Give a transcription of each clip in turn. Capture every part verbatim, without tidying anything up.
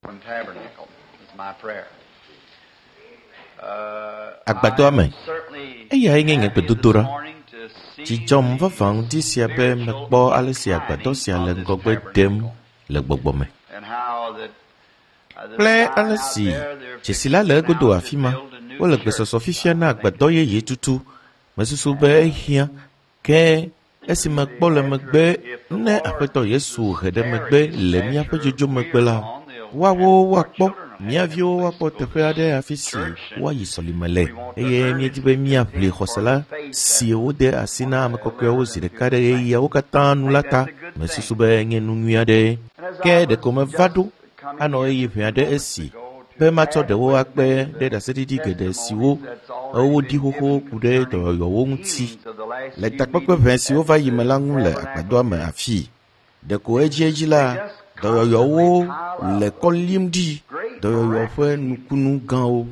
Tabernacle is my prayer. Uh, Agbadɔa me. I'm certainly Eyae nye nye happy this gbedodoɖa. morning to see Dzi dzɔm the vavã ŋdi sia be mekpɔ ale si agbadɔ sia le ŋgɔgbe dem le gbɔgbɔ me and how that, uh, the kple sign ale out si there, they're dzesi la le fixing egodo now to afi ma. build a new Wole church. gbesɔsɔ fifia na agbadɔ yeye tutu. Mesusu be ehiã ke esi mekpɔ le megbe ne Aƒetɔ Yesu he ɖe megbe le míaƒe dzodzo megbe la, woawo woakpɔ mía viwo woakpɔ teƒe aɖe afi si woayi sɔlime le eye míedi be míaʋli xɔse la si wode asi na ame kɔkɔewo zi ɖeka ɖe ɣeyiɣiawo katã nu la ta. Mesusu be nye nu nyui aɖe. Ke ɖeko meva ɖo anɔ ɣeyiɣi ʋɛ aɖe esi be matsɔ ɖewo akpe ɖe ɖaseɖiɖi geɖe siwo woɖi xoxo ku ɖe dɔyɔyɔwo ŋuti le takpekpe ʋɛ siwo va yi me la ŋu le agbadɔa me afii. Ɖeko edziedzi la, dɔyɔyɔwo le kɔ lim ɖi, dɔyɔyɔ ƒe nukunu gãwo.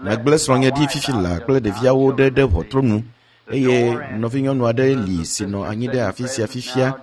Megblẽ srɔ̃nye ɖi fifi laa kple ɖeviawo ɖe ɖe ʋɔtru nu eye nɔvinyɔnu aɖe li si nɔ anyi ɖe afi sia fifia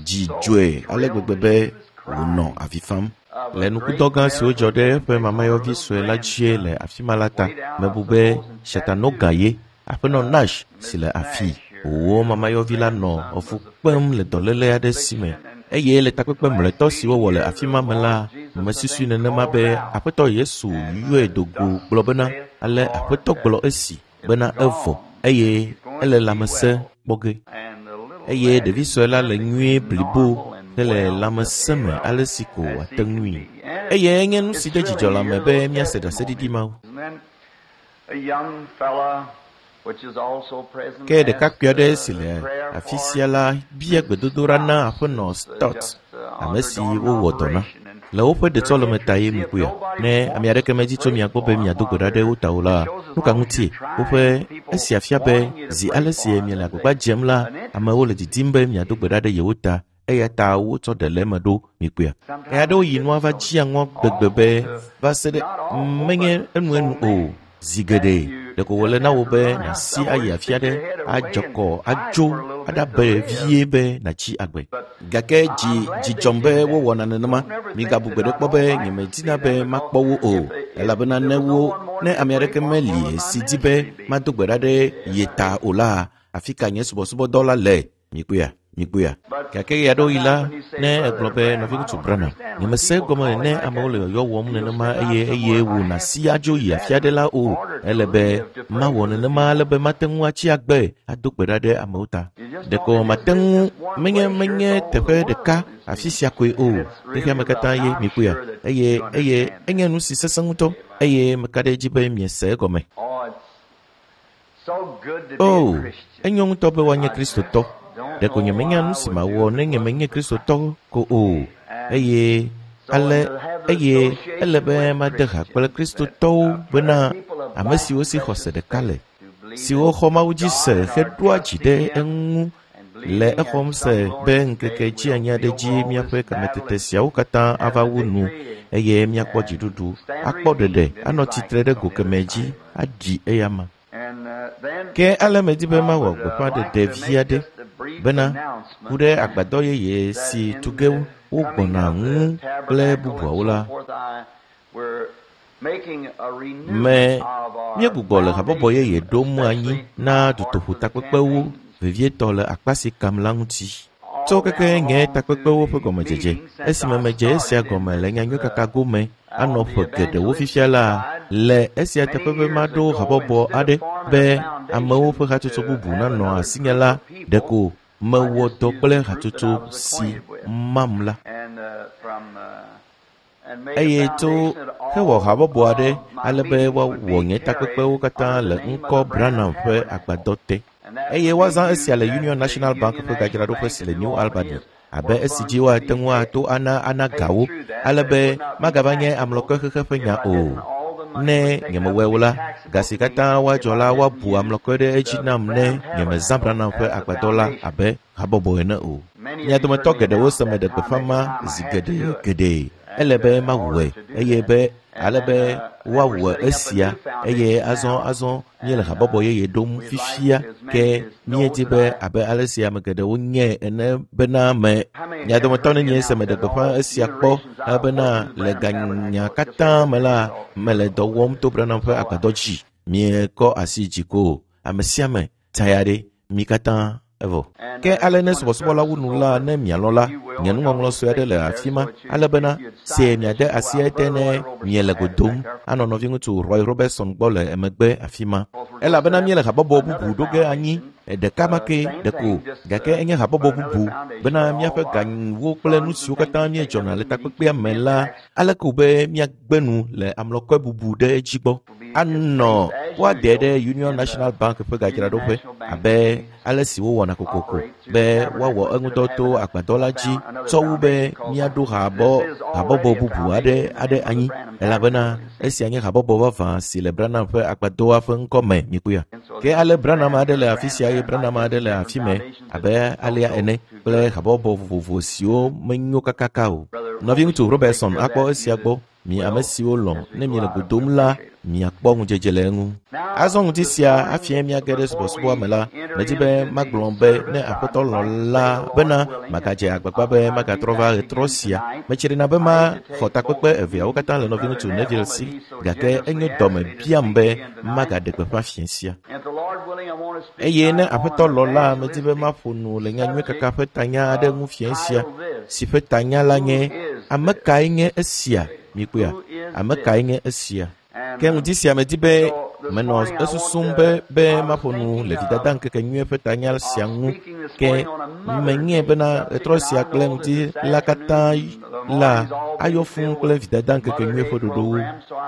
dzi dzɔe ale gbegbe be wònɔ avi fam. Le nukudɔ gã siwo dzɔ ɖe eƒe mamayɔvi sue la dzie le afi ma la ta, mebu be Chattanooga ye, Aƒenɔ Nash si le afii. Wòwɔ mamayɔvi la nɔ efu kpem le dɔléle aɖe si me eye le takpekpe mlɔetɔ si wowɔ le afi ma me la, mesusui nenema be Aƒetɔ Yesu yɔe do go gblɔ bena ale Aƒetɔ gblɔ esi bena evɔ eye ele lãmesẽ kpɔ ge. Eye ɖevi sue la le nyuie blibo hele lãmesẽ me ale si ko wòate ŋui. Eye enye nu si de dzidzɔ lãme be míase ɖaseɖiɖi mawo. And then a young fella, which is also present, Ke ɖekakpui aɖe asked, si le uh, prayer afi for sia la bia gbedodoɖa na Aƒenɔ Stott, ame si wowɔ dɔ na. Le woƒe ɖetsɔleme ta ye mekpɔea. Ne ame aɖeke medi tso mia gbɔ be miado gbe ɖa ɖe wo ta o la, nu ka ŋutie woƒe esia fia be zi ale si miele agbagba dzem la, amewo le didim be miado gbe ɖa ɖe yewo ta eya ta wotsɔ ɖe le eme ɖo mikpɔea. Ɣe aɖewo yi nua va dzia ŋɔ gbegbe be va se ɖe menye enuenu o. Zi geɖe ɖeko wòle na wò be nàsi ayi afi aɖe adzɔ kɔ adzo aɖabe vie be nàtsi agbe. Gake dzi dzi dzɔm be wowɔna nenema. Migabu gbe ɖe kpɔ be nyemedina be makpɔ wo o elabena ne wo ne ame aɖeke meli si di be mado gbe ɖa ɖe ye ta o la, afi ka nye subɔsubɔdɔ la le? Mikpɔea? Mikpɔea? Gake ɣe aɖewo yi la, ne egblɔ be nɔviŋutsu Branham, nyemese egɔme ne amewo le yɔyɔ wɔm nenema eye eye wò nàsi adzo yi afi aɖe la o. Ele be mawɔ nenema ale be mate ŋu atsi agbe ado gbe ɖa ɖe amewo ta. Ɖeko mate ŋu menye menye teƒe ɖeka afi sia koe o. Xexea me katã ye mikpɔea. Eye eye enye nu si sesẽ ŋutɔ eye meka ɖe edzi be miese egɔme. Oh, it's so good to be O, a Christian. enyo ŋutɔ be woanye Kristotɔ. Ɖeko nyemenya nu si mawɔ ne nyemenye Kristotɔ ko o. Eye ale eye ele be made ha kple Kristotɔwo bena ame siwo si xɔse ɖeka le, siwo xɔ Mawu dzi se heɖoa dzi ɖe eŋu le exɔm se be ŋkeke dzianyi aɖe dzi míaƒe kametete siawo katã ava wu nu eye míakpɔ dziɖuɖu, akpɔ ɖeɖe, anɔ tsitre ɖe go kemɛ dzi aɖi eyama. And uh, then Ke ale medi be mawɔ gbeƒãɖeɖe vi aɖe bena ku ɖe agbadɔ yeye si tu ge wogbɔna ŋu kple bubuawo la, me míegbugbɔ le habɔbɔ yeye ɖom anyi na dutoƒotakpekpewo vevietɔ le akpa si kam la ŋuti. Tso keke nye takpekpewo ƒe gɔmedzedze esime medze esia gɔme le nyanyuikaka gome anɔ ƒe geɖewo fifia la, le esia teƒe be maɖo habɔbɔ aɖe be amewo ƒe hatsotso bubu nanɔ asinye la, ɖeko mewɔ dɔ kple hatsotso si mam la. And uh, from uh, and made Eye a tso foundation that hewɔ all habɔbɔ aɖe of my ale be meetings would woawɔ be nye carried takpekpewo katã under le the name ŋkɔ of the Branham Branham ƒe Tabernacle. agbadɔ te. And that Eye would be woazã esia used le at Union the National Union Bank ƒe National gadzraɖoƒe Bank si in le New New Albany Albany is abe where esi funds dzi could woate be ŋu ato ana ana paid gawo through that, ale that it be would not be magava nye taxable amlɔkɔxexe ƒe if nya I o. didn't all the money Ne was taken up nyemewɔe to o be la, taxable ga si to me katã if woadzɔ I la didn't woabu use amlɔkɔe ɖe edzi the nam ne Branham nyemezã Tabernacle Branham ƒe as the agbadɔ la foundation. abe habɔbɔ ene o. Many Mia of you dometɔ heard me geɖewo announce se meɖe that time gbeƒã every ma time I zi had to geɖe do it. geɖe Ele be mawɔe eye be ale be woawɔ esia eye azɔ azɔ míele habɔbɔ yeye ɖom fifia ke míedi be abe ale si ame geɖewo nye ene bena me mia dometɔ nenye se meɖe gbeƒã esia kpɔ bena le ganya katã me la mele dɔ wɔm to Branham ƒe agbadɔ dzi. Miekɔ asi dzi ko ame sia ame taya ɖe mi katã evɔ. Ke ale ne subɔsubɔla wu nu la ne mialɔ̃ la, nye nuŋɔŋlɔ sue aɖe le afi ma ale bena se miade asi ete ne miele go dom anɔ nɔviŋutsu Roy Robertson gbɔ le emegbe afi ma. Elabena míele habɔbɔ bubu ɖo ge anyi ɖeka ma ke ɖeko gake enye habɔbɔ bubu bena míaƒe ganyiwo kple nu siwo katã míedzɔna le takpekpea me la ale ko be míagbe nu le amlɔkɔe bubu ɖe edzi gbɔ. Anɔ woade ɖe Union National Bank ƒe gadzraɖoƒe abe ale si wowɔna kokoko be woawɔ eŋudɔ to agbadɔ la dzi tsɔ wu be míaɖo habɔ habɔbɔ bubu aɖe aɖe anyi elabena esia nye habɔbɔ vavã si le Branham ƒe agbadɔa ƒe ŋkɔ me mikpɔa. Ke ale Branham aɖe le afi sia eye Branham aɖe le afi mɛ abe alea ene kple habɔbɔ vovovo siwo menyo kakaka o. Nɔviŋutsu Robertson akpɔ esia gbɔ. Mi ame siwo lɔ̃ ne miele go dom la miakpɔ ŋudzedze le eŋu. Azɔ ŋuti sia hafi míage ɖe subɔsubɔa me la, medi be magblɔ be ne Aƒetɔ lɔ̃ la bena magadze agbagba be magatrɔ va ɣetrɔ sia. Metsrina be maxɔ takpekpe eveawo katã le nɔviŋutsu Neville si gake enyo dɔme biam be magaɖe gbeƒã fiẽ sia. Eye ne Aƒetɔ lɔ̃ la, medi be maƒo nu le nyanyui kaka ƒe tanya aɖe ŋu fiẽ sia si ƒe tanya la nye ame kae nye esia? Mikpɔa, ame kae nye esia? Ke ŋuti sia medi be menɔ esusum be be maƒo nu le vidada ŋkeke nyui ƒe tanya sia ŋu ke menye bena ɣetrɔ sia kple ŋuti la katã la ayɔ fũu kple vidada ŋkeke nyui ƒe ɖoɖowo.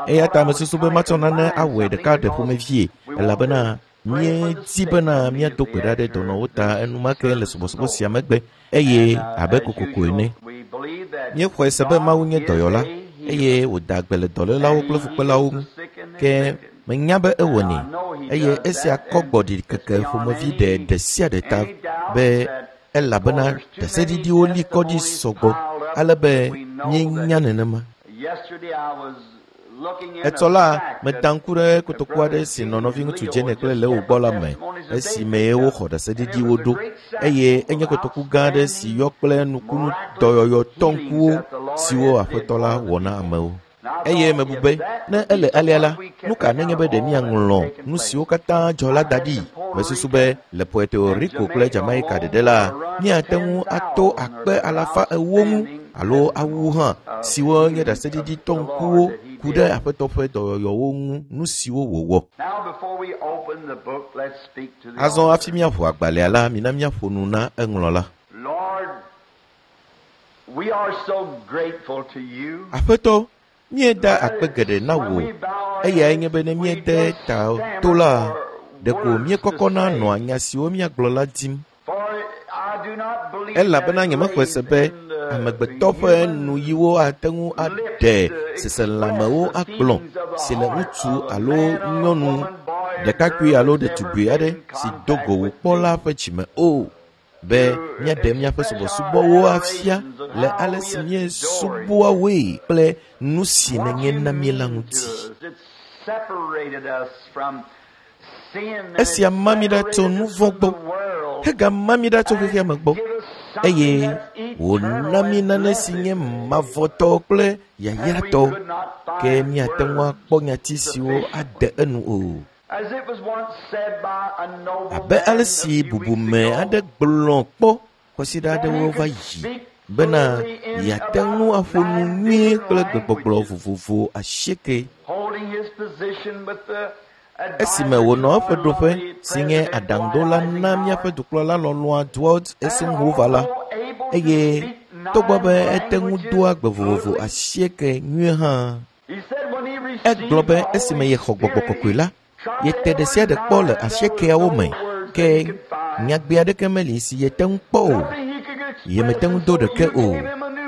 Eya ta mesusu be matsɔ nane awɔe ɖeka ɖe ƒomevie elabena míedi bena míado gbe ɖa ɖe dɔnɔwo ta enumake le subɔsubɔ sia megbe eye abe kokoko ene. Míexɔe se be Mawu nye dɔyɔla eye wòda gbe le dɔlélawo kple fukpelawo ŋu. Ke menya be ewɔnɛ eye esia kɔ gbɔ ɖikeke ƒomevi ɖe ɖe sia ɖe ta be elabena ɖaseɖiɖiwo li kɔ ɖi sɔgbɔ ale be míenya nenema. Etsɔ la, meda ŋku ɖe kotoku aɖe si nɔ nɔviŋutsu Jenny kple Leo gbɔ la me esime woxɔ ɖaseɖiɖiwo ɖo eye enye kotoku gã aɖe si yɔ kple nukunu dɔyɔyɔ tɔŋkuwo siwo Aƒetɔ la wɔ na amewo. Eye mebu be ne ele alea la, nu ka nenye be ɖe míaŋlɔ nu siwo katã dzɔ la da ɖi? Mesusu be le Puerto Rico kple Jamaica ɖeɖe la, míate ŋu ato akpe alafa ewo ŋu alo awu hã siwo nye ɖaseɖiɖi tɔŋkuwo ku ɖe Aƒetɔ ƒe dɔyɔyɔwo ŋu nu siwo wòwɔ. Azɔ hafi míaʋu agbalẽa la, mina míaƒo nu na eŋlɔla. Aƒetɔ, míeda akpe geɖe na wò eyae nye be ne míede ta to la, ɖeko míekɔkɔna nɔa nya siwo míagblɔ la dim. Elabena nyemexɔe se be amegbetɔ ƒe nuyiwo ate ŋu aɖe seselãmewo agblɔ si le ŋutsu alo nyɔnu ɖekakpui alo ɖetugbui aɖe si do go wò kpɔ la ƒe dzime o be míaɖe míaƒe subɔsubɔwo afia le ale si míesubɔa woe kple nu si nènye na mí la ŋuti. Esia ma mí ɖa tso nu vɔ̃ gbɔ hegama mí ɖa tso xexea me gbɔ eye wòna mí nane si nye mavɔtɔ kple yayratɔ ke míate ŋu akpɔ nyati siwo ade enu o. Abe ale si bubume aɖe gblɔ kpɔ kwasiɖa aɖewo va yi bena yeate ŋu aƒo nu nyuie kple gbegbɔgblɔ vovovo asieke. Esime wònɔ eƒe ɖoƒe si nye aɖaŋuɖola na míaƒe dukplɔla lɔlɔ̃a Dwight Eisenhower la, eye togbɔ be ete ŋu doa gbe vovovo asieke nyuie hã, egblɔ be esime yexɔ gbɔgbɔ kɔkɔe la, yete ɖe sia ɖe kpɔ le asiekeawo me ke nyagbe aɖeke meli si yete ŋu kpɔ o. Yemete ŋu do ɖeke o.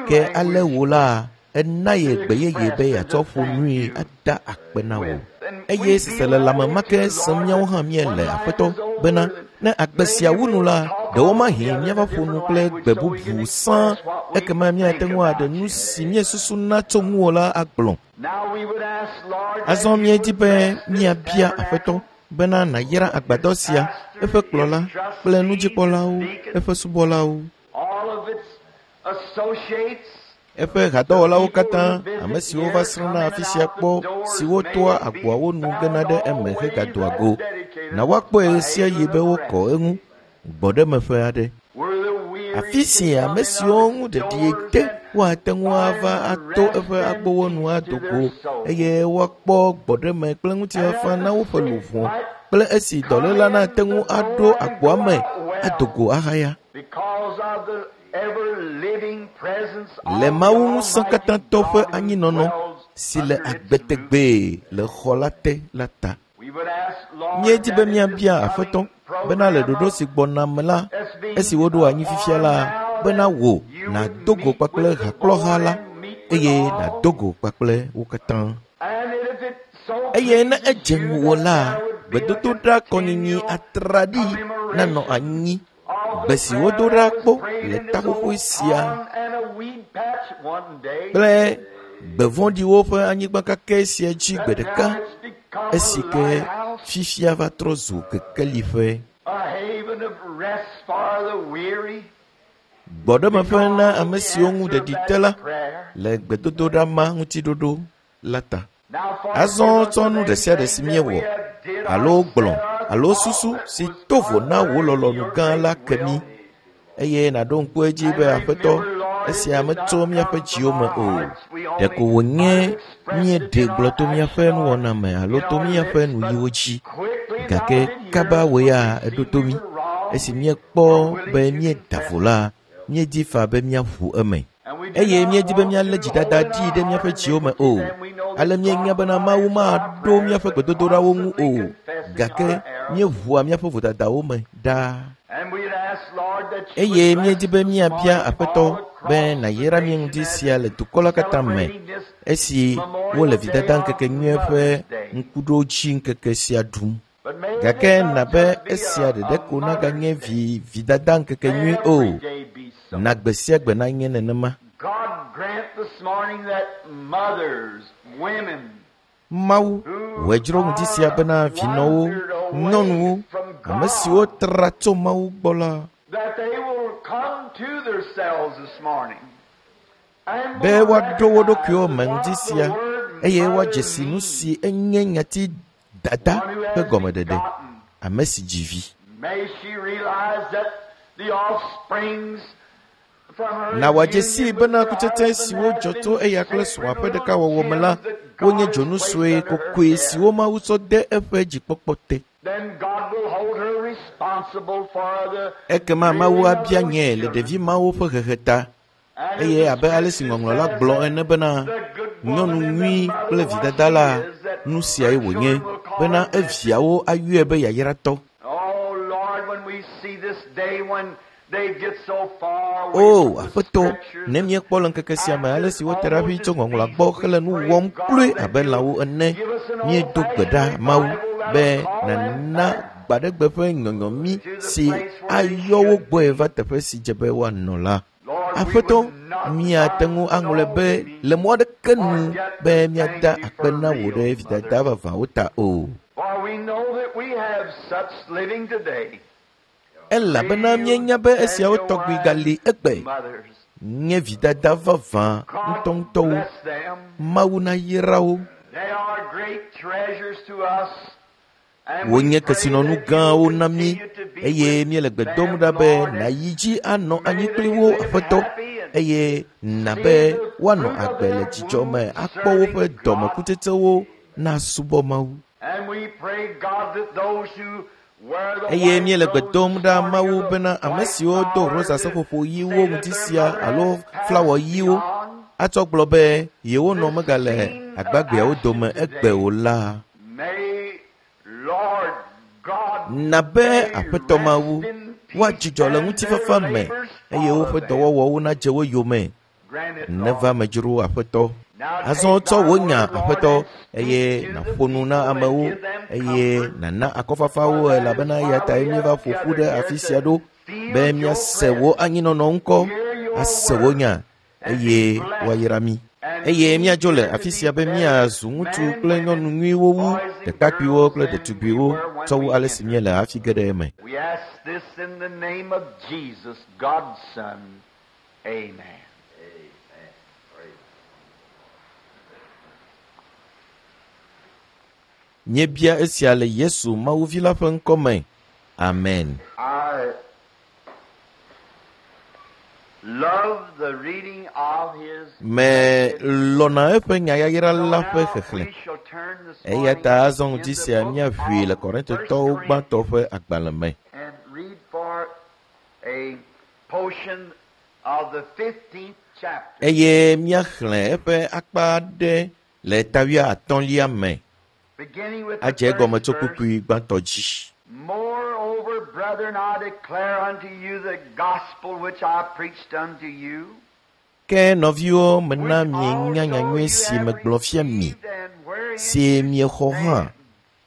Ke ale wò la, ena ye gbe yeye be yeatsɔ ƒo nui ada akpe na wò. Eye seselelãme ma ke sem míawo hã míele Aƒetɔ bena ne agbe sia wu nu la, ɖewomahi míava ƒo nu kple gbe bubu sãa ekema míate ŋu aɖe nu si míesusuna tso ŋuwò la agblɔ. Azɔ míedi be míabia Aƒetɔ bena nàyra agbadɔ sia, eƒe kplɔla kple nudzikpɔlawo, eƒe subɔlawo, eƒe hadɔwɔlawo katã, ame siwo va srɔ̃na afi sia kpɔ, siwo toa agboawo nu gena ɖe eme hegadoa go. Na woakpɔe ɣe sia ɣi be wokɔ eŋu gbɔɖemeƒe aɖe. Afi si ame siwo ŋu ɖeɖi te woate ŋu ava ato eƒe agbowo nu ado go eye woakpɔ gbɔɖeme kple ŋutifafa na woƒe luʋɔ kple esi dɔléla nate ŋu aɖo agboa me ado go ahaya. Le Mawu ŋusẽkatãtɔ ƒe anyinɔnɔ si le agbe tegbee le xɔ la te la ta. Míedi be míabia Aƒetɔ bena le ɖoɖo si gbɔna me la, esi woɖo anyi fifia la, bena wò nàdo go kpakple hakplɔha la eye nàdo go kpakple wo katã. Eye ne edze ŋuwò la, gbedodoɖa kɔnyinyi atraɖii nanɔ anyi. Gbe si wodo ɖa kpɔ le taƒoƒoe sia kple gbe vɔ̃ɖiwo ƒe anyigba kakɛ sia dzi gbe ɖeka esi ke fifia va trɔ zu kekeliƒe. Gbɔɖemeƒe na ame siwo ŋu ɖeɖi te la le gbedodoɖa ma ŋutiɖoɖo la ta. Azɔ tsɔ nu ɖe sia ɖe si míewɔ alo gblɔ alo susu si to vo na wò lɔlɔ̃nu gã la ke mí eye nàɖo ŋku edzi be Aƒetɔ, esia metso míaƒe dziwo me o. Ɖeko wònye míeɖe gblɔ to míaƒe nuwɔna me alo to míaƒe nuyiwo dzi. Gake kaba wò ya eɖo to mí. Esi míekpɔ be míeda vo la, míedi faa be míaʋu eme. Eye míedi be míalé dzidada ɖi ɖe míaƒe dziwo me o. Ale míenya bena Mawu maɖo míaƒe gbedodoɖawo ŋu o. Gake míeʋua míaƒe vodadawo me ɖaa. Eye míedi be míabia Aƒetɔ be nàyra mí ŋdi sia le dukɔ la katã me esi wole vidada ŋkekenyuie ƒe ŋkuɖodzi ŋkeke sia ɖum. Gake na be esia ɖeɖe ko naganye vi vidada ŋkekenyui o. Na gbe sia gbe nanye nenema. Mawu wòe dzro ŋdi sia bena vinɔwo, nyɔnuwo, ame siwo tra tso Mawu gbɔ la, be woaɖo wo ɖokuiwo me ŋdi sia eye woadze si nu si enye nyati dada ƒe gɔmeɖeɖe, ame si dzi vi. Na wòadze sii bena kutsetse siwo dzɔ tso eya kple srɔ̃a ƒe ɖekawɔwɔ me la, wonye dzonu sue kokoe siwo Mawu tsɔ de eƒe dzikpɔkpɔ te. Ekema Mawu abia nyee le ɖevi mawo ƒe hehe ta. Eye abe ale si ŋɔŋlɔ la gblɔ ene bena nyɔnu nyui kple vidada la, nu siae wònye bena eviawo ayɔe be yayratɔ. O Aƒetɔ, ne míekpɔ le ŋkeke sia me ale si wote ɖa ʋĩ tso ŋɔŋlɔa gbɔ hele nu wɔm kloe abe lãwo ene, míedo gbe ɖa Mawu be nàna gbaɖegbe ƒe nyɔnyɔ mí si ayɔ wo gbɔe va teƒe si dze be woanɔ la. Aƒetɔ, míate ŋu aŋlɔe be le mɔ aɖeke nu be míada akpe na wò ɖe vidada vavãwo ta o. Elabena míenya be esiawo tɔgbi gali egbe nye vidada vavã ŋutɔŋutɔwo. Mawu nayra wo. Wonye kesinɔnu gãwo na mí eye míele gbe dom ɖa be nàyi dzi anɔ anyi kpli wo Aƒetɔ eye na be woanɔ agbe le dzidzɔ me akpɔ woƒe dɔmekutsetsewo nasubɔ Mawu. Eye míele gbe dom ɖa Mawu bena ame siwo do rosa seƒoƒo ɣiwo ŋdi sia alo flawɔ ɣiwo atsɔ gblɔ be yewonɔ megale agbagbeawo dome egbe o la, na be Aƒetɔ Mawu woadzudzɔ le ŋutifafa me eye woƒe dɔwɔwɔwo nadze wo yome. Neva me dzro Aƒetɔ. Azɔ tsɔ wò nya aƒetɔ eye nàƒo nu na amewo eye nàna akɔfafa wo elabena eya tae míeva ƒo ƒu ɖe afi sia ɖo be míase wò anyinɔnɔ ŋkɔ, ase wò nya eye woayra mí. Eye míadzo le afi sia be míazu ŋutsu kple nyɔnu nyuiwo wu ɖekakpuiwo kple ɖetugbiwo tsɔ wu ale si míele hafi ge ɖe eme. We ask this in the name of Jesus, God's Son. Amen. Míebia esia le Yesu Mawu Vi la ƒe ŋkɔ me. Amen. I love the reading of his Melɔ̃na eƒe nyayayra la ƒe xexlẽ. We shall turn this Eya morning ta azɔ in ŋdi the sia book míaʋui le of Korintotɔwo First gbãtɔ ƒe agbalẽ me and read for a portion of the fifteenth chapter. eye míaxlẽ eƒe akpa aɖe le ta wuiatɔ̃lia me Beginning with the adze egɔme first tso verse. kpukpui gbãtɔ dzi. Moreover, brethren, I declare unto you the gospel which I preached unto you, Ke nɔviwo mena which mienya also nyanyui you si have megblɔ fia mi, received and wherein si you miexɔ hã, stand,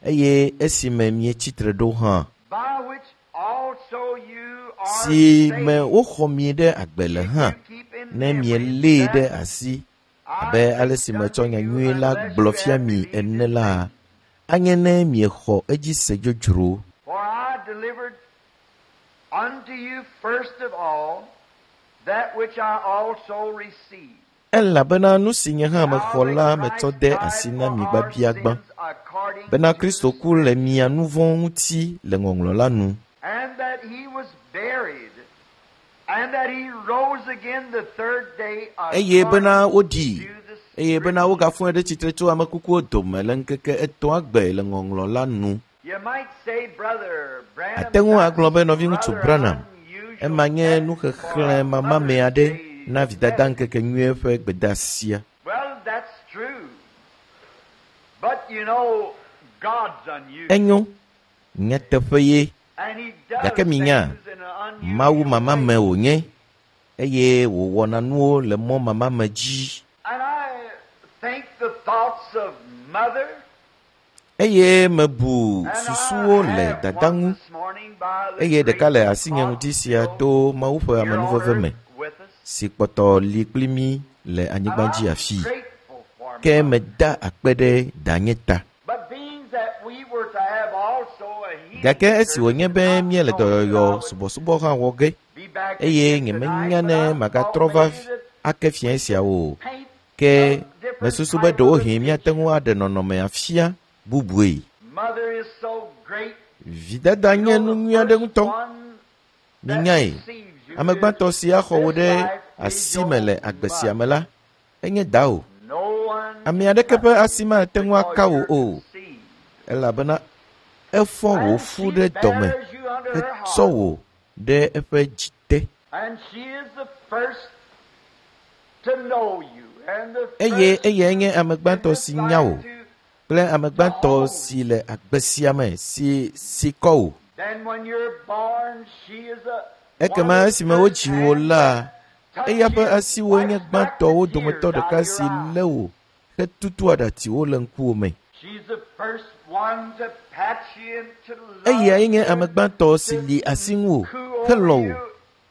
eye esime mietsi tre ɖo hã, by which also you are si me saved, woxɔ mi ɖe agbe le if hã, you keep in ne memory mielée ɖe that asi I abe ale preached si metsɔ unto you, nyanyui la unless gblɔ you fia have mi believed ene in la, vain. anye ne miexɔ edzi se dzodzro. For I delivered unto you first of all that which I also received. Elabena nu si nye hã How mexɔ that la metsɔ Christ de died asi na for mi our gbabiagbã sins according bena to the Kristo ku le mia nu vɔ̃ ŋuti le ŋɔŋlɔ la nu, and that he was buried, and that he rose again the third day eye bena according woɖii to the eye bena Scriptures. wogafɔe ɖe tsitre tso ame kukuwo dome le ŋkeke etɔ̃a gbe le ŋɔŋlɔ la nu. You might say, Brother Branham, Ate ŋu that's agblɔ be nɔviŋutsu rather Branham, unusual ema nye text for nuxexlẽ a mamame Mother's aɖe Day na vidada message. ŋkekenyuie ƒe gbedeasia. Well, that's true. But you know, God's unusual. Enyo, nyateƒe ye, And he does gake minya, things in an unusual Mawu mamame way. wònye eye wòwɔna nuwo le mɔ mamame dzi. And I think the thoughts of mother, Eye mebu and I susuwo le have dada one ŋu this morning by the eye ɖeka le grace of asinye God ŋdi sia still to Mawu ƒe here on amenuveve earth me with us. si kpɔtɔ li kpli mí le And anyigba dzi I'm afii. grateful for Ke mother. meda akpe ɖe danye ta. But being that we were to have also a healing Gake esi service wònye and be not míele knowing that I dɔyɔyɔ would subɔsubɔ hã wɔ ge be back eye again tonight, nyemenya but ne I thought magatrɔ va maybe that ake fiẽ siawo o. paint Ke a different mesusu be type of a ɖewohĩ míate picture. ŋu aɖe nɔnɔme afia bubue. Mother is so great. Vidada You nye know, nu the nyui aɖe first ŋutɔ. one that Minyae, receives you ame is gbãtɔ si axɔ wò this ɖe life is asi me your le agbe sia mother. me la, enye dawò. No one Ame can aɖeke touch ƒe you asi mate ŋu because aka wò you're o, conceived. elabena efɔ wò And fu she ɖe dɔme bears you under her hetsɔ heart. wò ɖe eƒe dzi te. And she is the first to know you and the Eye first eyae nye ame in gbãtɔ this si nya life wò to, kple ame to gbãtɔ hold si you. le agbe sia me si si kɔ wò. Then when you're born, she is a, one Ekema of the esime first wodzi wò hands la, that touch eya ƒe you, asiwoe nye wipes back the gbãtɔwo tears dometɔ out ɖeka of your si eyes. lé wò hetutu aɖatsiwo le ŋkuwò me. She's the first one to pat you and to love Eyae nye you ame and gbãtɔ si to li asi ŋu wò, coo over helɔ̃ wò, you.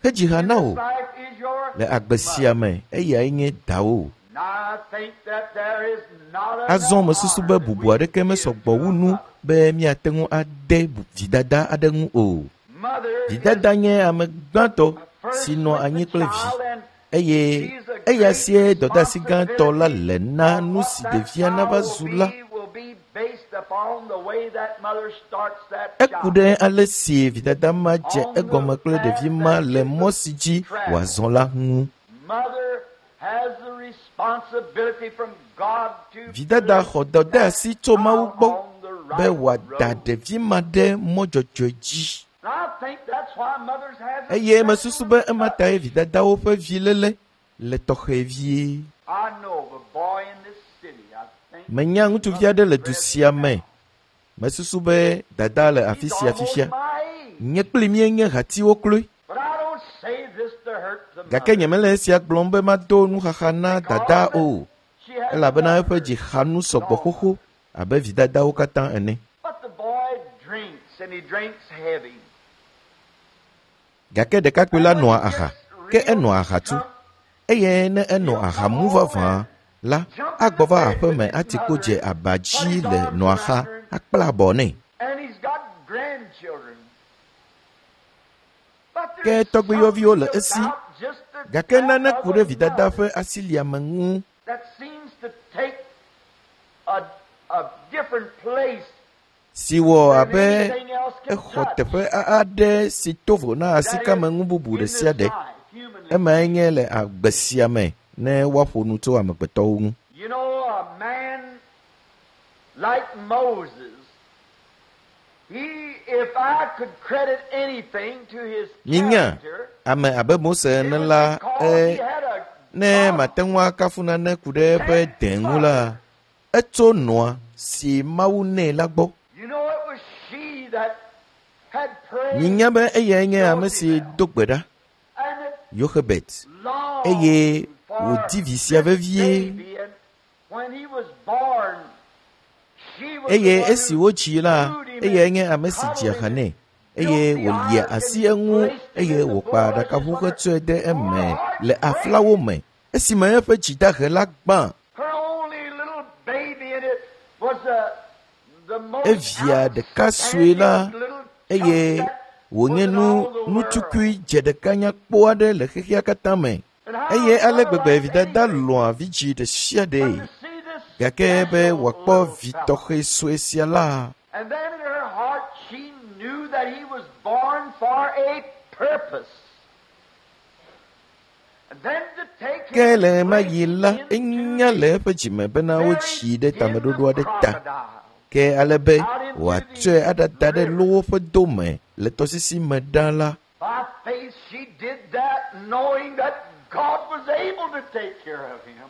hedzi ha In na this wò life is your le agbe sia mother. me. Eyae nye dawò. Now I think that there is not Azɔ enough mesusu honor be that bubu we aɖeke can mesɔ give gbɔ to wu a nu mother. be míate ŋu ade bu- vidada aɖe ŋu o. Mother is Vidada nye ame gbãtɔ si first nɔ with the anyi kple vi child, and eye she's a eya great sie dɔdeasi gãtɔ la responsibility le na of nu what si that ɖevia child nava will zu la. be will be based upon the way that mother starts that Eku child ɖe ale si vidada ma dze on the egɔme kple path ɖevi ma that le is mɔ the si dzi travel. wòazɔ la ŋu. Mother has the responsibility from God to Vidada place xɔ that dɔdeasi tso Mawu child gbɔ on the be right wòada road. ɖevi ma ɖe mɔ dzɔdzɔe dzi. And I think that's why mothers have a Eye mesusu special be ema touch. tae vidadawo ƒe viléle le tɔxɛ vie. I know of a boy in this city. I think Menya his ŋutsuvi mother's aɖe le du present sia me. now. Mesusu be dada le afi He's sia almost fifia. my age. Nye kpli míenye hatiwo kloe. But I don't say this to hurt the Gake mother nyemele esia gblɔm be mado nuxaxa na because dada o, she Elabena eƒe dzi xa nu sɔgbɔ xoxo abe vidadawo katã ene. Gake ɖekakpui la nɔa aha, ke enɔa aha tu. Eye ne enɔ aha mu vavã la, agbɔ va aƒeme ati kpo dze aba dzi le nɔa xa akpla abɔ nɛ. Ke tɔgbuiyɔviwo le esi, gake nane ku ɖe vidada ƒe asiliame ŋu si wɔ abe exɔ teƒe aɖe si to vo na asikame ŋu bubu ɖe sia ɖe. Emae nye le agbe sia me ne woaƒo nu tso amegbetɔwo ŋu. You know, a man like Moses, he, if I could credit anything to his Minya, character, ame abe Mose it ene was la, because e he had a ne God mate ŋu akafu nane ku ɖe eƒe dẽ ŋu la, etso nɔa si Mawu nɛ la gbɔ. You know, it was she that had prayed Minya be eyae nye ame si do gbe ɖa, and it Yoxebet, longed eye for wòdi vi sia this vevie. baby, and when he was born, she was Eye the one esi who wodzii la, brewed him eyae and nye ame si cuddled dzi him ha and nɛ, eye built the wòlia ark asi and eŋu placed him eye in the wòkpa boat. I just aɖakaʋu wonder, hetsɔe de her eme heart le breaks. aflawo me esime eƒe dzidahe la gbã. Her only little baby, and it was the, the most Evia ɖeka sue la outstanding little chunk eye that was wònye in nu all the world. nutukui dze ɖeka nyakpɔ aɖe le xexea katã me. And how Eye a ale mother gbegbe likes vidada anything lɔ̃a vidzĩ ɖe sia but ɖee. to see this Gake be special wòakpɔ little vi fellow. tɔxɛ sue sia la, And then in her heart she knew that he was born for a purpose. And then to take ke him le ɣe ma straight ɣi la, into enya the le eƒe dzime bena very wodzii ɖe den tameɖoɖo of aɖe ta. crocodile, Ke ale be out into wòatsɔe the aɖada ɖe river. lowo ƒe dome le tɔsisi me ɖa la, By faith she did that, knowing that God was able to take care of him.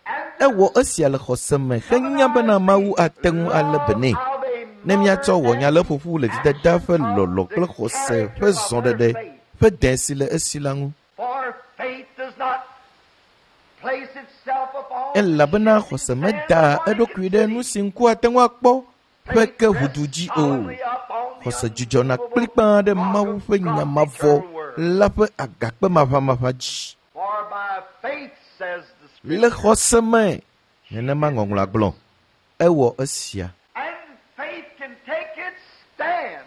And the ewɔ esia le xɔse me henya bena Mawu ate ŋu alé be love nɛ. of a Ne míatsɔ mother wɔ nya and le the ƒoƒu le vidada action ƒe of lɔlɔ̃ the kple xɔse character ƒe of her zɔɖeɖe faith. ƒe dẽ si le esi la ŋu. For faith does not place itself upon the Elabena shifting xɔse sands medaa of what it eɖokui can ɖe nu see. si ŋku ate ŋu akpɔ ƒe Faith ke rests ʋudu dzi o. solemnly upon the Xɔse dzudzɔna unmovable kplikpaa ɖe rock Mawu of ƒe nya God's mavɔ eternal word. la ƒe agakpe maʋamaʋã dzi. For by faith, says the Le Scripture, xɔse me, she nenema did ŋɔŋlɔa this. gblɔ, ewɔ esia. And faith can take its stand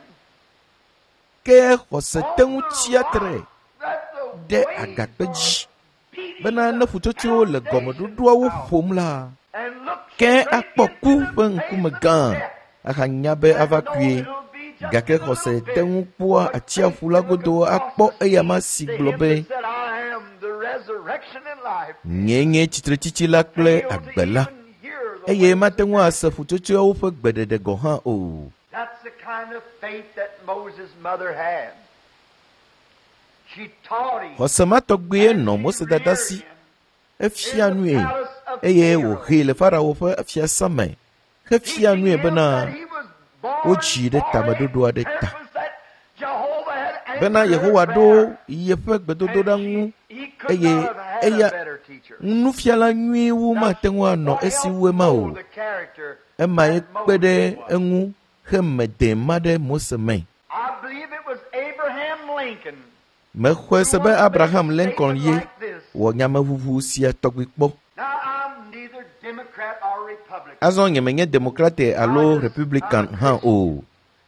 Ke xɔse te on ŋu the tsia tre rock that the ɖe waves agakpe are dzi beating bena the ne ƒutsotsoewo le foundations gɔmeɖoɖoawo of, ƒom la, and look ke straight akpɔ into ku the ƒe face ŋkume of gã death ahanya be and ava know kue. it'll be just Gake a little xɔse te bit. ŋu kpɔa But faith atsiaƒu la can look godo across akpɔ the eyama sea si to gblɔ him be, that said, I am the resurrection and life, Nyee nye tsitretsitsi la kple fail to agbe la. even hear the Eye waves mate of ŋu death. ase ƒutsotsoeawo ƒe gbeɖeɖe gɔ̃ hã o. That's the kind of faith that Moses' mother had. She taught him Xɔse ma tɔgbie and nɔ she Mose dada reared si. him Efia in the nue palace of eye Pharaoh, wòhee le Farao ƒe fiasã me hefia teaching nue him bena that he was born wodzii ɖe for a tameɖoɖo aɖe ta. purpose that Jehovah had Bena answered her Yehowa ɖo prayer. yeƒe gbedodoɖa And ŋu she, he could eye not have had a eya better teacher. nufiala nyui wu Now, mate ŋu anɔ what esi helped wu ema o. mold the character Emae that kpe ɖe Moses was? eŋu heme dẽ ma ɖe Mose me. I believe it was Abraham Lincoln Mexɔe who se be once made a Abraham Lincoln statement ye like this. wɔ nyameʋuʋu sia tɔgbi kpɔ. Now, I'm neither Democrat or Republican. Azɔ nyemenye Demokrate I alo just, I'm Republican a hã Christian. o.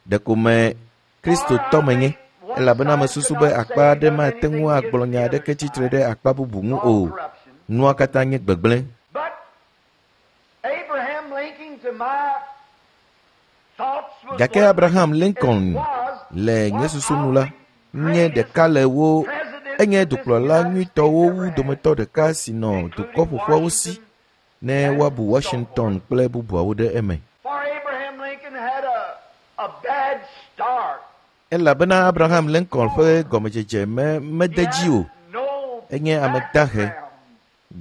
Ɖeko me For Kristotɔ I menye think one elabena side mesusu could be not akpa say aɖe does mate ŋu anything agblɔ against nya the other aɖeke tsitre side. ɖe akpa bubu ŋu All o. corruption. Nua katã nye gbegblẽ. But Abraham Lincoln, to my thoughts, was Gake one of the, Abraham it Lincoln was le nye one susu nu of la the nye greatest ɖeka le wo presidents enye that this dukplɔla United States nyuitɔwo ever wu had, dometɔ ɖeka si nɔ dukɔ including ƒoƒuawo si Washington ne and woabu so forth. Washington kple bubuawo ɖe eme. For Abraham Lincoln had a, a bad start. Elabena Abraham Lincoln ƒe gɔmedzedze me He mede dzi had o. no Enye ame dahe. background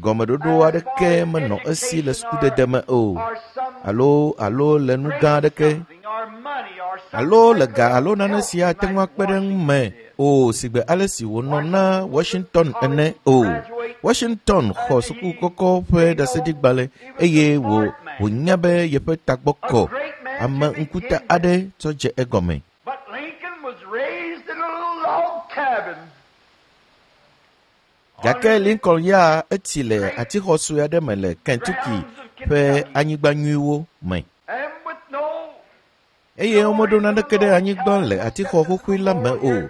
Gɔmeɖoɖo as far aɖeke as menɔ esi le education or, sukudede me o or some alo alo le nu great gã aɖeke something or money or alo le ga alo nane si ate ŋu akpe ɖe ŋu me o sigbe ale si wònɔ na Washington ene o. Washington xɔ suku kɔkɔ ƒe ɖaseɖigbalẽ eye wò wònya be yeƒe tagbɔ kɔ. Ame ŋkuta aɖe tsɔ dze egɔme. But Lincoln was raised in a little log cabin. Gake Lincoln ya etsi le atixɔ sue aɖe me le Kentucky ƒe anyigba nyuiwo me. And with no Eye womeɖo naneke ɖe anyigba le atixɔ xoxoe la me o.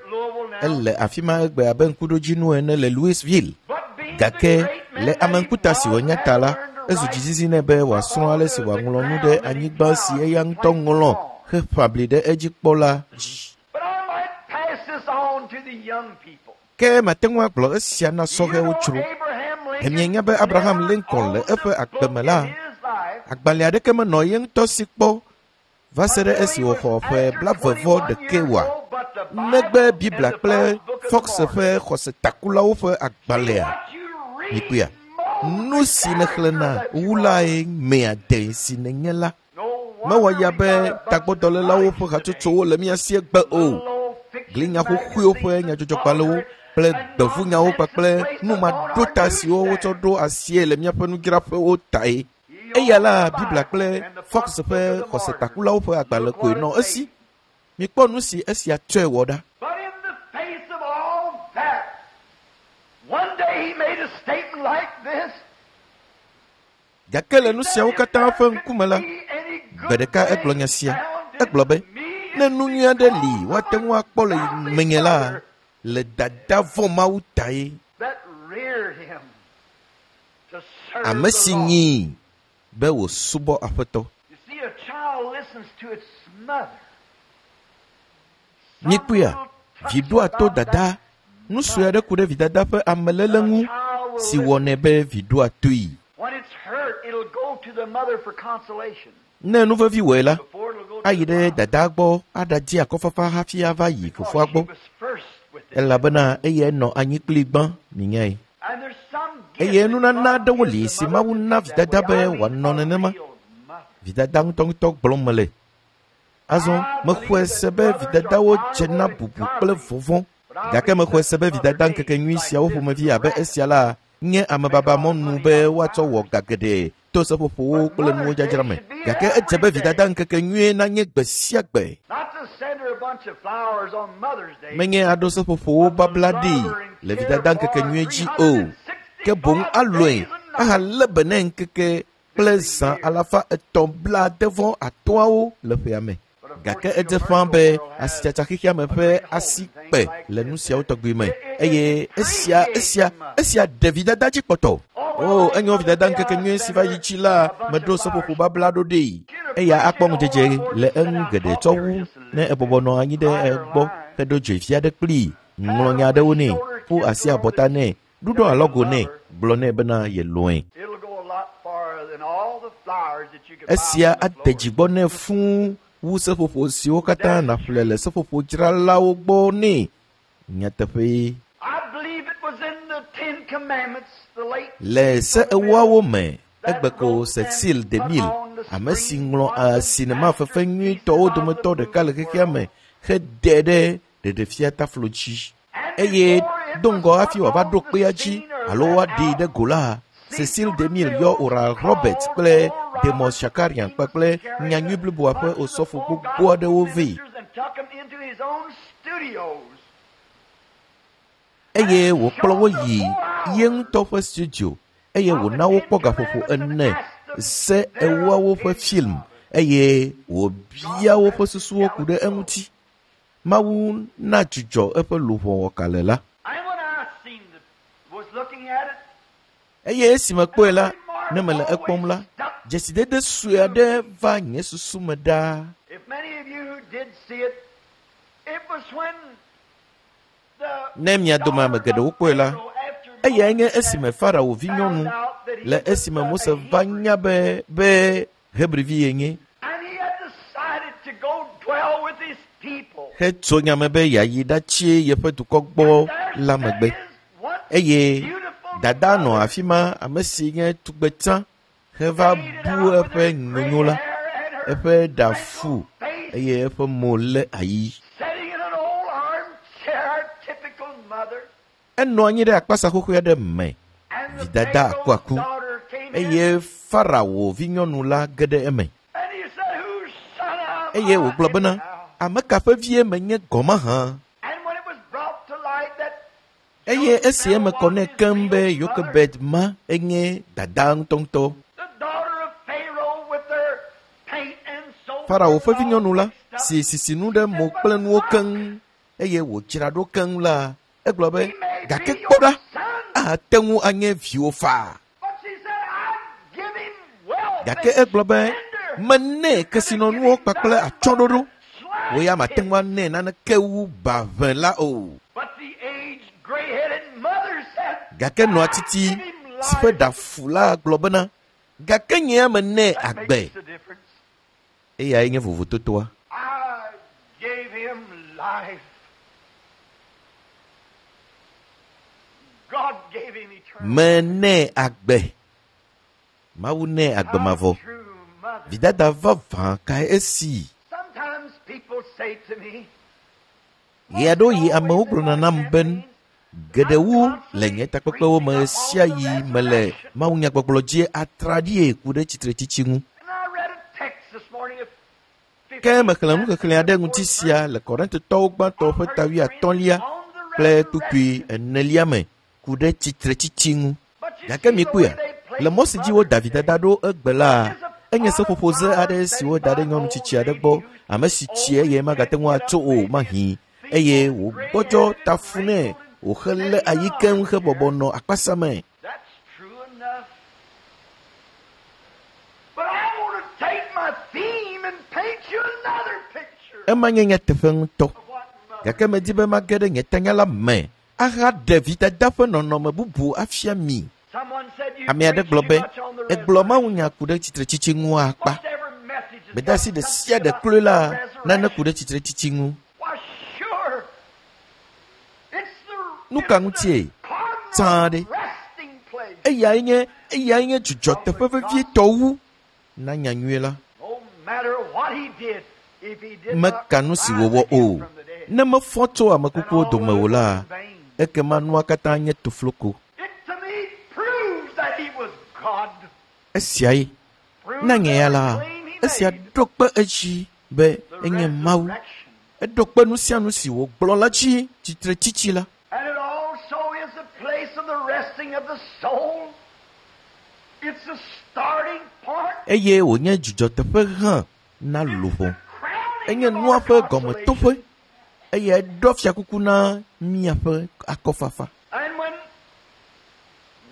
Ele afi ma egbe abe ŋkuɖodzinu ene le Louisville. but being Gake the great man le that ame he ŋkuta si was, wònya ta la, had learned to ezu write dzizizi nɛ be wòasrɔ̃ ale si wòaŋlɔ nu ɖe anyigba si eya ŋutɔ ŋlɔ heƒã bli ɖe edzi kpɔ la dzi. But I might pass this on to the young people. Ke mate ŋu agblɔ esia na You sɔhɛwo know tsro. Abraham Lincoln Emienya be Abraham never Lincoln le owned eƒe a agbe me book la, in his life agbalẽ aɖeke menɔ ye ŋutɔ si kpɔ va se ɖe esi wòxɔ ƒe blaeve vɔ ɖekɛ wòa. Negbe Biblia kple Fox ƒe xɔsetakulawo ƒe agbalẽa. Mikpɔea, nu si nèxlẽna wu lae mea de si nènye la. Mewɔ ya be tagbɔdɔlélawo ƒe hatsotsowo le mía si egbe o. Glinya xoxoewo ƒe nyadzɔdzɔgbalẽwo kple gbevunyawo kpakple numaɖota siwo wotsɔ ɖo asie le míaƒe nudzraƒewo tae. Eya la Biblia kple Fox ƒe xɔsetakulawo ƒe agbalẽ koe nɔ esi. Mikpɔ nu si esia tsɔe wɔ ɖa. But in the face of all that, one day he made a statement like this. Gake le nu siawo katã ƒe ŋkume la, gbe ɖeka egblɔ nya sia. Egblɔ be, ne nu nyui aɖe li woate ŋu akpɔ le menye la, le dada vɔ̃ Mawu tae. That reared him to serve Ame the si Lord. nyii be wòsubɔ Aƒetɔ. You see, a child listens to its mother. Mikpɔea, vi ɖoa to dada. Nu sue aɖe ku ɖe vidada ƒe ameléle ŋu si wɔnɛ be vi ɖoa toe. When it's hurt, it'll go to the mother for consolation. Ne nu vevi wɔe la, Before it'll go to ayi the ɖe father. dadaa gbɔ aɖadi akɔfafa hafi ava yi Because fofoa she gbɔ was first with it. elabena eyae nɔ anyi kplii gbã minyae. And there's some gift Eye that nunana God aɖewo gives li the si mother Mawu to na be that vidada way. be I mean wòanɔ a nenema. real mother. Vidada ŋutɔŋutɔ gblɔm mele. Azɔ mexɔe se be vidadawo dze na bubu kple vɔvɔ̃. Gake mexɔe se be vidada ŋkeke nyui siawo ƒomevi abe esia la nye amebaba mɔnu be woatsɔ wɔ ga geɖe to seƒoƒowo kple nuwo dzadzra me. Gake edze be vidada ŋkeke nyuie nanye gbe sia gbe. Not to send her a bunch of flowers on Mother's Day. Menye aɖo seƒoƒowo babla ɖi le vidada ŋkeke nyuie dzi o. Ke boŋ alɔe ahalé be nɛ ŋkeke kple zã alafa etɔ̃ blaade-vɔ atɔ̃awo le ƒea me. Gake edze ƒãa be asitsatsa xexeame ƒe asi kpe le nu siawo tɔgbi me eye esia esia esia ɖe vidada dzi kpɔtɔ. O enyo vidada ŋkeke nyuie si va yi dzi la meɖo seƒoƒo babla ɖo ɖee. Eya akpɔ ŋudzedze le eŋu geɖe tsɔ wu ne ebɔbɔ nɔ anyi ɖe egbɔ heɖo dzoe vi aɖe kplii, ŋlɔ nya aɖewo nɛ, ƒu asi abɔta nɛ, ɖuɖɔ alɔgo nɛ, gblɔ nɛ bena yelɔ̃e. It'll go a lot farther than all the flowers that you could buy Esia from the ade dzi gbɔ nɛ fũu wu seƒoƒo siwo katã nàƒle le seƒoƒodzralawo gbɔ nɛ. Nyateƒee. I believe it was in the Ten Commandments, the late Le se ewoawo me, egbe ko Cecil DeMille, ame si ŋlɔ a sinema fefe nyuitɔwo dometɔ ɖeka le xexea me hede ɖe ɖeɖefia taflo dzi. Eye do ŋgɔ hafi wòava ɖo kpea dzi alo woaɖee ɖe go la, Cecil DeMille yɔ Oral Roberts kple Demos Shakarian kpakple nyanyui bliboa ƒe osɔfo gbogbo aɖewo vɛ. and took them into his own studios. eye wòkplɔ wo yi ye ŋutɔ ƒe studio eye wòna wokpɔ gaƒoƒo ene se ewoawo ƒe film eye wòbia woƒe susuwo ku ɖe eŋuti. Mawu na dzudzɔ eƒe luʋɔ wɔkalẽ la. And when I seen the, was looking at it, Eye esi mekpɔe la, ne mele ekpɔm la, dzesidede sue aɖe va nye susu me ɖaa. if many of you who did see it, it was when the Ne mia dome ame geɖewo kpɔe la, eyae nye esime Farao vinyɔnu le esime Mose va nya be be Hebrivi yenye and he had decided to go dwell with his people. hetso nya me be yeayi ɖatsi yeƒe dukɔ gbɔ la megbe. Eye dada nɔ afi ma ame si nye tugbetsã heva bu eƒe nyonyo la, eƒe ɖa fu eye eƒe mo lé ayi. Sitting in an old armchair, typical mother. Enɔ anyi ɖe akpasa xoxo aɖe me And the Vidada Pharaoh's akuaku. daughter came in, eye Farao vinyɔnu la ge ɖe eme and he said, Whose son am eye I wògblɔ bena anyhow?" ame ka ƒe vie menye gɔme hã. And when it was brought to light that Eye esi eme kɔ nɛ keŋ be Yokebed ma enye dada ŋutɔŋutɔ. the daughter of Pharaoh with her paint and soap Farao ƒe and all vinyɔnu la mixed up, si sisinu ɖe mo kple nuwo keŋ eye wòdzra ɖo keŋ la egblɔ be he may gake be kpɔ your ɖa son. ate ŋu anye viwò faa. But she said, I give him wealth Gake and egblɔ be splendor. menɛ kesinɔnuwo kpakple atsyɔ̃ɖoɖo. Wò ya mate Slap ŋu anɛ naneke wu baʋẽ la o. But the aged, gray-headed mother said, Gake nɔa titi si ƒe ɖa fu la gblɔ bena gake nye ya menɛ That agbe. makes the difference. Eyae nye vovototoa. I gave him life. God gave him eternal Menɛ agbe. Mawu nɛ agbe mavɔ. A true mother. Vidada vavã kae esi. Sometimes people say to me, Ɣeaɖewoɣi amewo gblɔna nam be geɖe wu le nye takpekpewo me ɣe sia ɣi mele mawunyagbɔgblɔ dzi atraɖie ku ɖe tsitretsitsi ŋu. And I read a text this morning of Ke mexlẽ nuxexlẽ aɖe ŋuti sia le Korintotɔwo gbãtɔ ƒe ta wuiatɔ̃lia kple kpukpui enelia me ku ɖe tsitretsitsi ŋu. Gake mikpɔea, le mɔ si dzi woda vidada ɖo egbe la, enye seƒoƒoze aɖe si woda ɖe nyɔnu tsitsi aɖe gbɔ, ame si tsi eye magate ŋu atso o mahĩ eye wògbɔdzɔ tafu nɛ wòhelé ayi keŋ hebɔbɔ nɔ akpasa me. That's true enough. But I want to take my theme and paint you another picture Ema nye nyateƒe ŋutɔ. of what mother. Gake medi be mage ɖe nye tanya la me ahaɖe vidada ƒe nɔnɔme bubu afia mi. Someone said you Ame aɖe preach gblɔ too be much on the egblɔ resurrection. mawunya ku ɖe tsitretsitsi ŋu akpa. Most every message has Gbedeasi got ɖe sia something ɖe about kloe la the nane ku resurrection. ɖe tsitretsitsi ŋu. Why, sure. It's the, Nu ka it's ŋutie? the cardinal Tsã ɖe. resting place. Eyae nye eyae nye dzudzɔteƒe vevietɔ wu na nyanyui la. No matter what he did, if he did not Meka nu si rise wòwɔ again o. from the dead, Ne mefɔ tso ame then kukuwo all dome of o it la, was in vain. ekema nua katã nye tofloko. It to me proves that he was God. Esiae Proves na nye ya la, every claim he esia made. ɖo kpe edzi be The enye Mawu. resurrection. Eɖo kpe nu sia nu si wògblɔ la dzi tsitretsitsi la. And it also is the place of the resting of the soul. It's the starting point. Eye wònye dzudzɔteƒe hã na It's luʋɔ. the crowning Enye of nua our ƒe consolation. gɔmetoƒe eye eɖɔ fiakuku na míaƒe akɔfafa. And when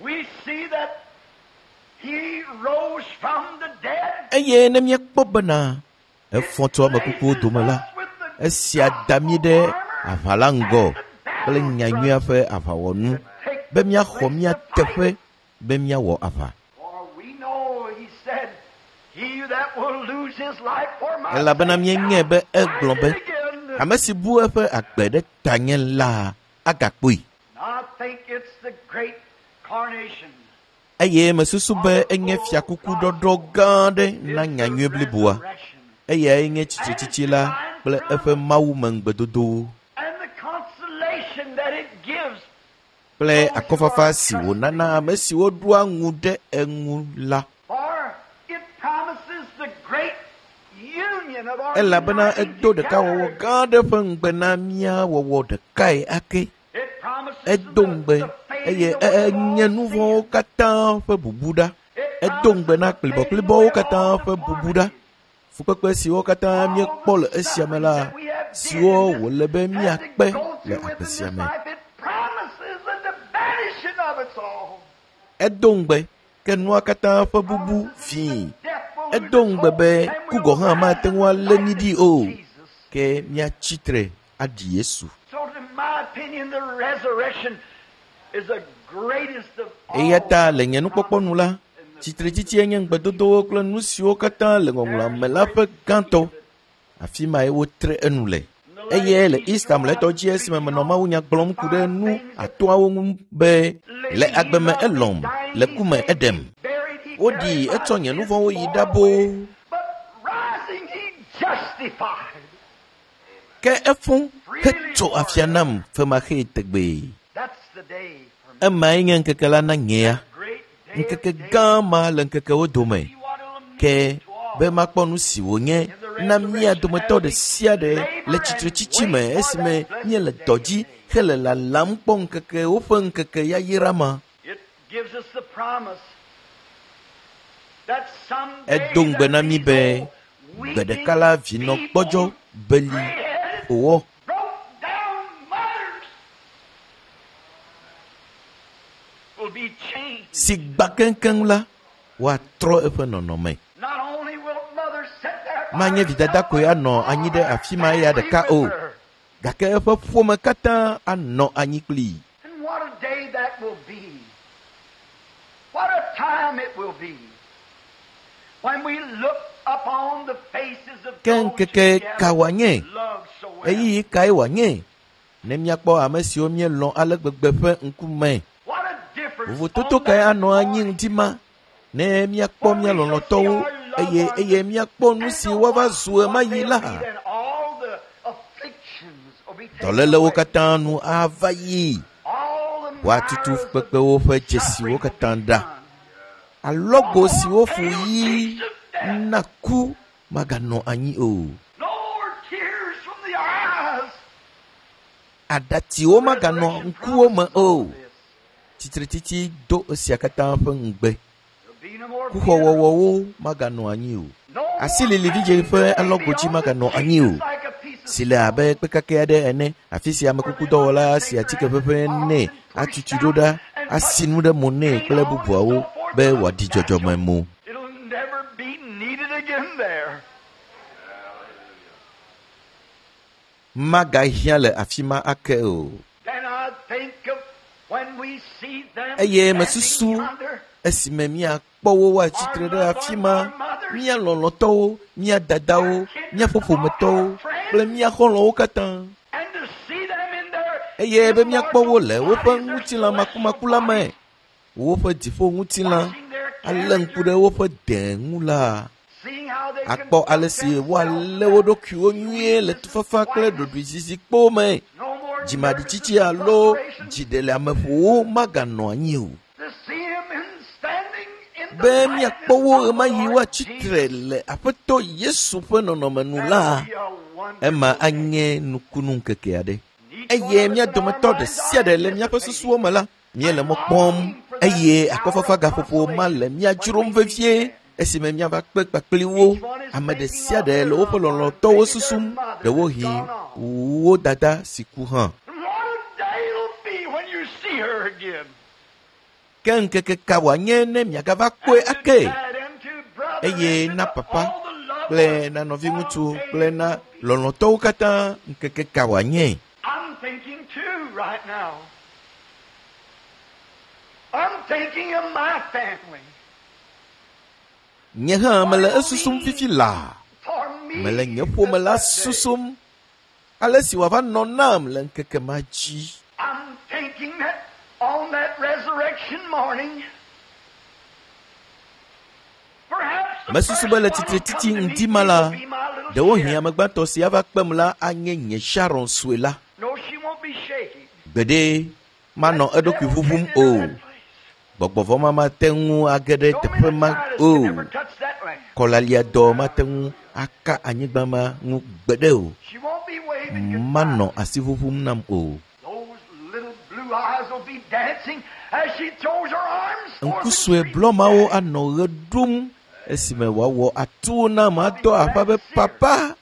we see that he rose from the dead, Eye ne míekpɔ bena efɔ tso ame kukuwo dome la, esia da mí ɖe aʋa la ŋgɔ kple nyanyuia ƒe aʋawɔnu be míaxɔ mía teƒe be míawɔ aʋa. For we know, he said, he that will lose his life for my Elabena sake míenyae be shall egblɔ find be it again. ame si bu eƒe agbe ɖe tanye la agakpɔe. I think it's the great carnation. Eye mesusu be enye fiakuku ɖɔɖɔ gã aɖe na It's the nyanyui bliboa. resurrection. Eyae nye tsitretsitsi la kple eƒe mawumeŋugbedodowo And the consolation that it gives kple akɔfafa si wònana ame siwo ɖoa ŋu ɖe eŋu la. For it promises the great union of our Elabena uniting edo ɖekawɔwɔ together. gã aɖe ƒe ŋugbe na mía wɔwɔ ɖekae ake. It promises Edo the, ŋugbe the fading eye away e- of all enye nu vɔ̃wo sin. katã ƒe bubu ɖa. It Edo ŋugbe promises na the fading kplibɔkplibɔwo away of katã all ƒe bubu ɖa. deformities. Fukpekpe siwo katã All míekpɔ the le esia me sufferings la, that we have did siwo in this, wòle be had to míakpe go le through agbe within sia this me. life, it promises the vanishing of it all. Edo ŋugbe ke nua katã ƒe bubu Promises fii. that death will lose Edo its ŋugbe hold be and ku we'll gɔ̃ hã rise mate ŋu alé like mí ɖi unto o. Jesus. Ke míatsi tre aɖi Yesu. So, in my opinion, the resurrection is the greatest of Eya all ta le nye nukpɔkpɔ nu la, in the tsitretsitsie nye ŋugbedodowo kple nu siwo katã le ŋɔŋlɔa me la ƒe gãtɔ. Afi mae wotre enu le. Eye le Easter mlɔetɔ dzi esime menɔ mawunya gblɔm ku ɖe nu atɔ̃awo ŋu be le agbe me elɔ̃m, le ku me eɖem. Buried, he Woɖi carried my etsɔ nye nu sins vɔ̃wo yi far ɖa away. boo. But rising, he justified. Ke efo hetso afia nam femaxee tegbee. That's the day for me. Emae nye ŋkeke la na nyea. Great day of Ŋkeke days. gã ma le ŋkekewo dome. See what it'll mean Ke to all. be makpɔ nu si wònye na mía dometɔ ɖe sia ɖe le tsitretsitsi me esime míele dɔ dzi hele lalam kpɔ ŋkeke woƒe ŋkeke yayra ma. It gives us the promise that someday Edo ŋugbe na mí be these gbe ɖeka la vinɔ gbɔdzɔ beli gray-headed, wòwɔ broke down mothers will be changed. si gbã keŋkeŋ la woatrɔ eƒe nɔnɔme. Not only will mothers sit there by Manye vidada herself, koe anɔ anyi ɖe afi ma eya ɖeka o, with her. gake eƒe ƒome katã anɔ anyi kplii. And what a day that will be. What a time it will be. When we look upon the faces of Ke those ŋkeke who ka wòanye? loved so well. Ɣeyiɣi kae wòanye? Ne míakpɔ ame siwo míelɔ̃ ale gbegbe ƒe ŋkume. What a difference Vovototo on kae that anɔ anyi morning. ŋdi ma ne míakpɔ mía lɔlɔ̃tɔwo eye eye míakpɔ nu si woava zu ɣemaɣi la. Then all the afflictions will be taken Dɔlélewo away. katã nu ava yi. All the Woatutu miles of fukpekpewo ƒe dzesiwo suffering will katã be ɖa. done. Alɔgo si wofu ɣi na ku maganɔ anyi o. No more tears from the eyes. Aɖatsiwo maganɔ ŋkuwo me o. Tsitretsitsi do esia katã ƒe ŋugbe. There'll be no more Kuxɔwɔwɔwo maganɔ anyi o. No more Asilili vidzĩ ƒe alɔgodzi maganɔ anyi o. like a piece of Si le abe kpekake aɖe ene, afi si amekukudɔwɔla si atike ʋeʋẽ nɛ atutui ɖo ɖa, asi nu ɖe mo nɛ kple bubuawo be wòaɖi dzɔdzɔme mo. It'll never be needed again there. Magahiã le afi ma ake o. Then I think of when we see them Eye standing mesusu yonder, esime míakpɔ wo woatsitre ɖe afi ma, mía lɔlɔ̃tɔwo, mía dadawo, míaƒe ƒometɔwo kple mía xɔlɔ̃wo katã. and to see them in their Eye be míakpɔ wo le woƒe immortal ŋutilã bodies, makumaku la me, woƒe dziƒo ŋutilã watching their alé ŋku ɖe woƒe dẽ ŋu la, seeing how they akpɔ conduct ale si themselves. woalé wo ɖokuiwo nyuie le tufafa kple ɖoɖoezizi me. No more Dzimaɖitsitsi nervousness and alo frustration. dziɖeleameƒowo maganɔ anyi o. To see him in standing in the Be likeness míakpɔ wo of the ɣemaɣi Lord woatsi tre Jesus. le Aƒetɔ Yesu ƒe nɔnɔme nu la, That'll be a wonderful ema day. anye nukunu ŋkeke aɖe. Each one Eye of mía us in our dometɔ ɖe minds sia are ɖe le míaƒe susuwo me la, míele mɔ kpɔm eye akɔfafa gaƒoƒo ma le mía dzrom vevie esime míava kpe kpakpli wo. Ame ɖe sia ɖe le woƒe lɔlɔ̃tɔwo susum, ɖewohĩ wo dada si ku hã. And what a day it'll be when you see her again. Ke ŋkeke ka wòanye ne miagava kpɔe And to ake? dad and to brother Eye and to na the- papa all the loved kple ones, na nɔviŋutsu what a day kple na it'll be. lɔlɔ̃tɔwo katã ŋkeke ka wòanye? I'm thinking too right now. I'm thinking of my family. Nye hã mele esusum fifi laa. For me, Mele nye ƒome la at that day. susum ale si wòava nɔ nam le ŋkeke ma dzi. I'm thinking that on that resurrection morning, perhaps the Mesusu first be le one will tsitretsitsi come to meet ŋdi ma me la, will be my little ɖewohĩ Sharon. ame gbãtɔ si ava kpem la anye nye Sharon sue la. No, she won't be shaking. Gbeɖe manɔ eɖokui ʋuʋum o. Gbɔgbɔvɔ ma mate ŋu age ɖe No teƒe ma meningitis o. can ever touch that land. Kɔlaliadɔ mate ŋu aka anyigba ma ŋu gbeɖe o. She won't be waving goodbye. Manɔ asi ʋuʋum nam o. Those little blue eyes will be dancing as she throws her arms forth Ŋku and sue greets blɔ mawo Daddy. anɔ ɣe ɖum esime wòawɔ atu nam adɔ aƒa be papa.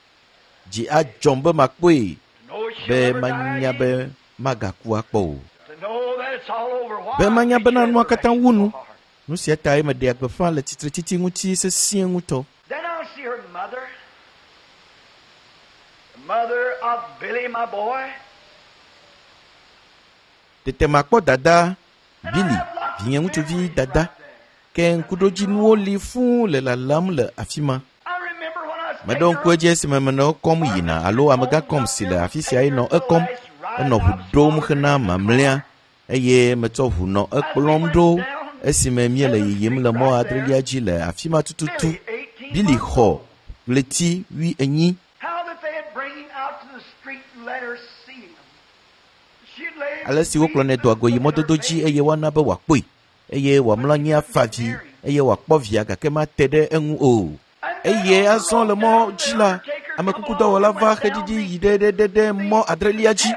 Dzi adzɔm be makpɔe To know she'll be never die manya again. be magaku akpɔ o. To know that it's all over. Why Be manya preach bena nua katã resurrection wu so nu. hard? Nu sia tae meɖea gbeƒã le tsitretsitsi ŋuti sesĩe ŋutɔ. Then I'll see her mother, the mother of Billy, my boy. Tete makpɔ dada And I Billy, have lots of vinye ŋutsuvi memories dada. right there. Ke ŋkuɖodzinuwo li fũu le lalam le afi ma. I remember when I was Meɖo taking ŋku edzi esime menɔ ekɔm yina alo amegã kɔm si le afi sia ye nɔ ekɔm. Enɔ ʋu ɖom hena mamlɛa eye metsɔ ʋu nɔ ekplɔm ɖo esime míele yiyim le mɔ adrelia dzi le afi ma tututu. Billy, eighteen Billy months xɔ old. ɣleti wi enyi. Ale si wokplɔnɛ doa go yi mɔdodo dzi eye woana be wòakpɔe eye wòamlɔ anyi afa vi eye wòakpɔ via gake mate ɖe eŋu o. Eye azɔ le mɔ dzi la, amekukudɔwɔla va xeɖiɖi yi ɖe ɖe ɖe mɔ adrelia dzi.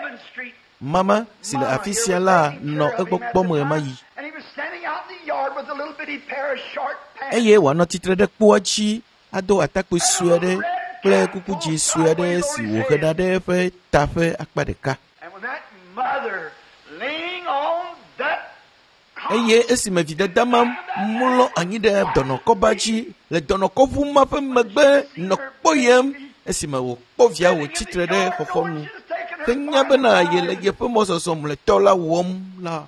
Mama si le afi sia la nɔ egbɔ kpɔm ɣemaɣi. Eye wòanɔ tsitre ɖe kpoa dzi ado atakpui sue aɖe kple kuku dzi sue aɖe si wòhena ɖe eƒe ta ƒe akpa ɖeka. Eye esime vidada ma mlɔ anyi ɖe dɔnɔkɔba dzi le dɔnɔkɔʋu ma ƒe megbe nɔ kpɔyem esime wòkpɔ via wòtsitre ɖe xɔxɔnu henya bena yele yeƒe mɔzɔzɔ mlɔetɔ la wɔm la,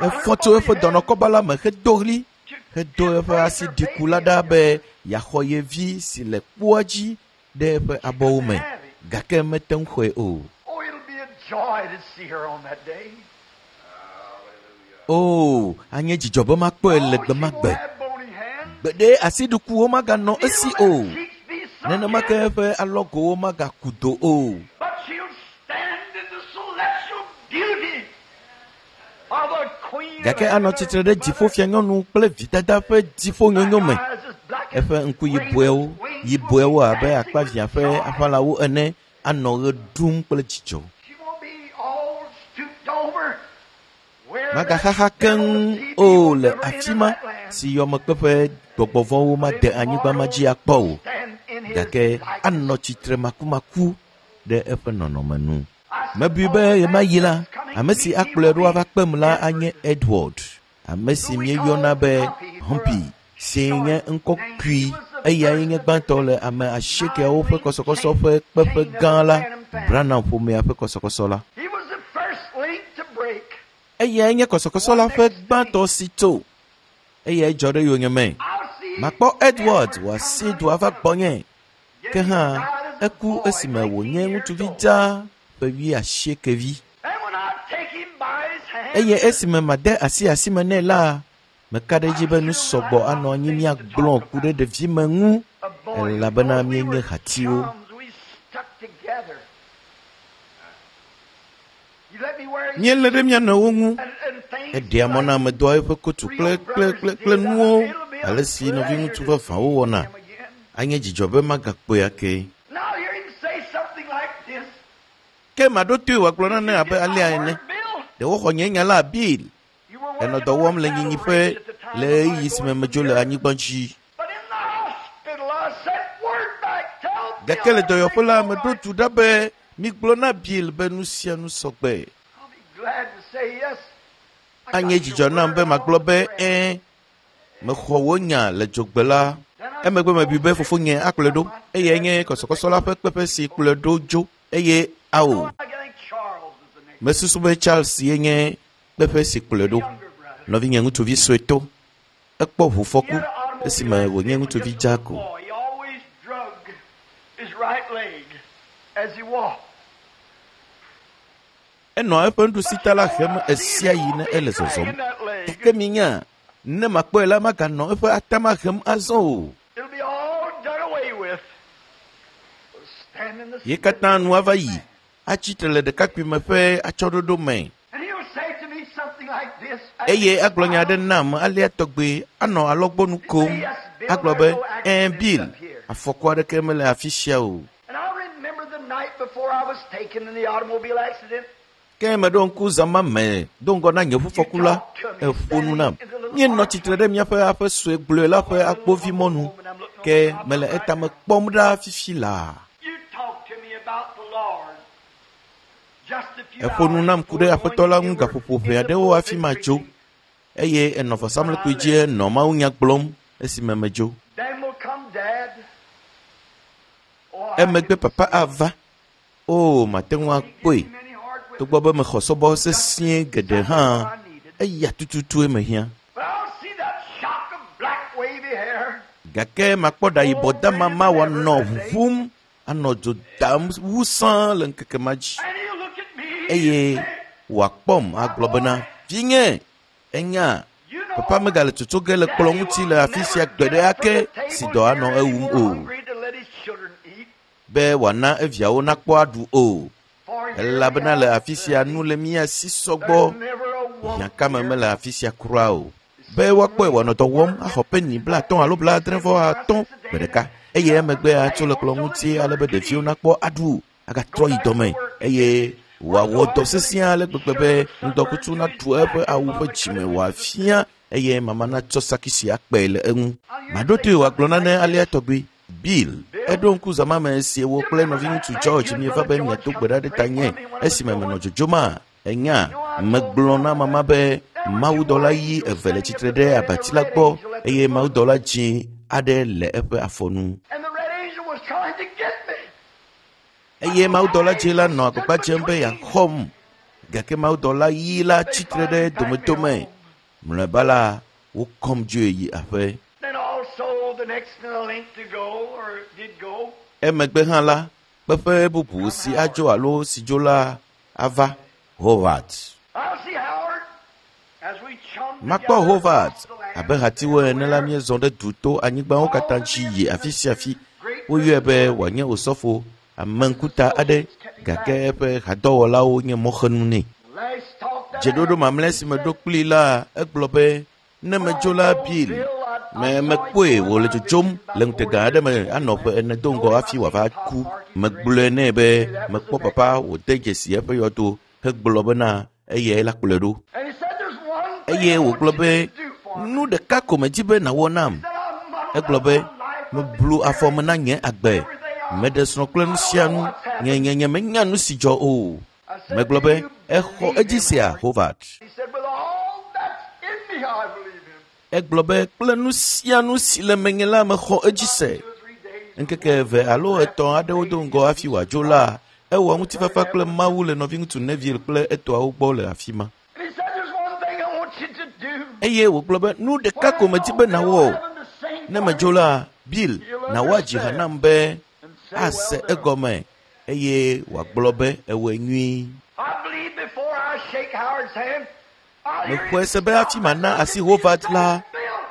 efɔ tso eƒe dɔnɔkɔba la me hedo ɣli hedo eƒe asi ɖiku la ɖa be yeaxɔ ye vi si le kpoa dzi ɖe eƒe abɔwo me gake mete ŋu xɔe o. O, anye dzidzɔ be makpɔe le gbe ma gbe. Gbeɖe asiɖukuwo maganɔ esi o. Nenema ke eƒe alɔgowo magaku do o. Gake anɔ tsitre ɖe dziƒofianyɔnu kple vidada ƒe dziƒonyonyo me. Eƒe ŋku yibɔewo, yibɔewo abe akpavia ƒe aʋalawo ene anɔ ɣe ɖum kple dzidzɔ. Magaxaxa keŋ o le afi ma si yɔmekpeƒe gbɔgbɔvɔ̃wo made anyigba ma dzi akpɔ o. Gake anɔ tsitre makumaku ɖe eƒe nɔnɔme nu. Mebui be ɣemaɣi la, ame si akplɔe ɖo ava kpem la anye Edward, ame si míeyɔna be Humpy, si nye ŋkɔ kui. Eyae nye gbãtɔ le ame asiekeawo ƒe kɔsɔkɔsɔ ƒe kpeƒe gã la, Branham ƒomea ƒe kɔsɔkɔsɔ la. Eyae nye kɔsɔkɔsɔ la ƒe gbãtɔ si tso. Eyae dzɔ ɖe yonyeme. Makpɔ Edward wòasi du ava gbɔnye. Ke hã eku esime wònye ŋutsuvi dzaa ƒe wi asieke vi. Eye esime made asi asime nɛ la, meka ɖe edzi be nu sɔgbɔ anɔ anyi míagblɔ ku ɖe ɖevime ŋu elabena míenye hatiwo. Míelé ɖe mía nɔewo ŋu. Eɖea mɔ na ame doa eƒe kotu kple kple kple kple nuwo ale si nɔviŋutsu vavãwo wɔna. Anye dzidzɔ be magakpɔe ake. Ke maɖo toe wòagblɔ nane abe alea ene. Ɖe woxɔ nye nya la Bill. Enɔ dɔ wɔm le nyinyiƒe le ɣeyiɣi si me medzo le anyigba dzi. Gake le dɔyɔƒe la, meɖo du ɖa be migblɔ na Bill be nu sia nu sɔgbe. Anye dzidzɔ nam be magblɔ be ɛ̃, mexɔ wò nya le dzogbe la. Emegbe mebui be fofonye akplɔe ɖo eye nye kɔsɔkɔsɔ la ƒe kpeƒe si kplɔe ɖo dzo eye ao. Mesusu be Charles ye nye kpeƒe si kplɔe ɖo. Nɔvinye ŋutsuvi suetɔ. Ekpɔ ʋufɔku esime wònye ŋutsuvi dzaa ko. Enɔ eƒe nuɖusita la hem ɣe sia ɣi ne ele zɔzɔm. Gake minya, ne makpɔe la maganɔ eƒe atama hem azɔ o. Ye katã nu ava yi, atsi tre le ɖekakpuime ƒe atsyɔ̃ɖoɖo me. Eye agblɔ nya aɖe nam alea tɔgbe anɔ alɔgbɔnu kom. Agblɔ be, ɛ̃ Bill, afɔku aɖeke mele afi sia o. Ke meɖo ŋku zã ma me do ŋgɔ na nye ʋufɔku la, eƒo nu nam. Míenɔ tsitre ɖe míaƒe aƒe sue gblɔe la ƒe akpovimɔnu. Ke mele etame kpɔm ɖa fifi laa. Eƒo nu nam ku ɖe aƒetɔ la ŋu gaƒoƒo ʋɛ aɖewo hafi madzo. Eye enɔ vɔsamlekpui dzi nɔ mawunya gblɔm esime medzo. Emegbe papa ava. O, mate ŋu akpɔe. Togbɔ be mexɔ sɔbɔ sesĩe geɖe hã, eya tututue mehiã. Gake makpɔ ɖa yibɔ dama ma wòanɔ ʋuʋum, anɔ dzo dam wu sãa le ŋkeke ma dzi. Eye wòakpɔm agblɔ bena, vinye, enya, Papa megale tsotso ge le kplɔ ŋuti le afi sia gbe ɖe ake si dɔ anɔ ewum o be wòana eviawo nakpɔ aɖu o elabena le afi sia nu le mía si sɔgbɔ hiãkame mele afi sia kura o be woakpɔe wòanɔ dɔ wɔm axɔ peni blaatɔ̃ alo blaadre vɔ atɔ̃ gbe ɖeka eye emegbe atso le kplɔ ŋuti ale be ɖeviwo nakpɔ aɖu agatrɔ yi dɔme eye wòawɔ dɔ sesẽ ale gbegbe be ŋdɔkutsu naɖu eƒe awu ƒe dzime wòafia eye mama natsɔ sakisi akpɛ le eŋu. Maɖo toe wòagblɔ nane alea tɔgbi. Bill, eɖo ŋku zama me si wò kple nɔviŋutsu George mieva be miado gbe ɖa ɖe tanye esime menɔ dzodzoma. Enya, megblɔ na mama be mawudɔla ɣi eve le tsitre ɖe abati la gbɔ eye mawudɔla dzĩ aɖe le eƒe afɔnu. And the red angel was trying to get me. Eye mawudɔla dzĩ la nɔ agbagba dzem be yeaxɔm gake mawudɔla ɣi la tsitre ɖe domedome. Mlɔeba la, wokɔm dzoe yi aƒe. Then also the next in the link to go, or did go, Emegbe hã la, kpeƒe bubu si adzo alo si dzo la ava Howard. I'll see Howard as we chum Makpɔ together Howard across the land. abe hatiwo ene la míezɔ ɖe du to anyigbawo katã dzi yi afi sia afi. Woyɔe be wòanye osɔfo ameŋkuta aɖe gake eƒe hadɔwɔlawo nye mɔxenu nɛ. Last talk that I Dzeɖoɖo mamlɛ si meɖo kplii la, egblɔ be ne medzo la Bill, me mekpɔe wòle dzodzom le ŋutega aɖe me anɔ ƒe ene do ŋgɔ hafi wòava ku. Megblɔe nɛ be mekpɔ papa wòde dzesi eƒe yɔdo hegblɔ bena eyae la kplɔe ɖo. And he said, "There's one thing Eye I want wògblɔ you be to do for me." nu ɖeka ko medzi be nàwɔ nam. Said, "I'm muddled Egblɔ up be my life with meblu afɔ me na nye agbe. Meɖe srɔ̃ kple nu sia nu. Nye nye nye menya nu si dzɔ o. Megblɔ be exɔ edzi sia Howard. He said, "With all that's in me, I believe him." Egblɔ be kple nu sia nu si le menye la mexɔ edzi se. Two or three days. Ŋkeke eve alo etɔ̃ aɖewo do ŋgɔ hafi wòadzo la, ewɔ ŋutifafa kple Mawu le nɔviŋutsu Neville kple etɔawo gbɔ le afi ma. And he said, "There's one thing I want you to do." Eye wògblɔ be nu ɖeka ko medzi be nàwɔ. Ne medzo la, Bill, nàwɔ adzi ha nam be ase egɔme eye wòagblɔ be ewɔe nyuie. I believe before I shake Howard's hand, I'll hear Mexɔe him se be hafi mana asi Howard la,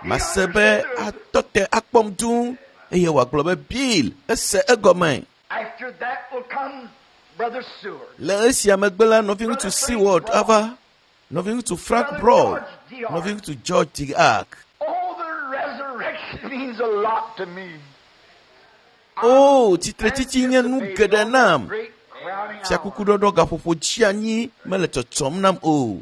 mase be atɔ te akpɔm dũu eye wòagblɔ be Bill ese egɔme. After that will come Brother Seward. Le esia megbe la, nɔviŋutsu Seward ava, nɔviŋutsu Frank Broad, nɔviŋutsu George Diak. Oh, the resurrection means a lot to me. O, tsitretsitsi nye nu geɖe nam. Great crowning hour. Fiakukuɖɔɖɔ gaƒoƒo dzi anyi mele tsɔtsɔm nam o.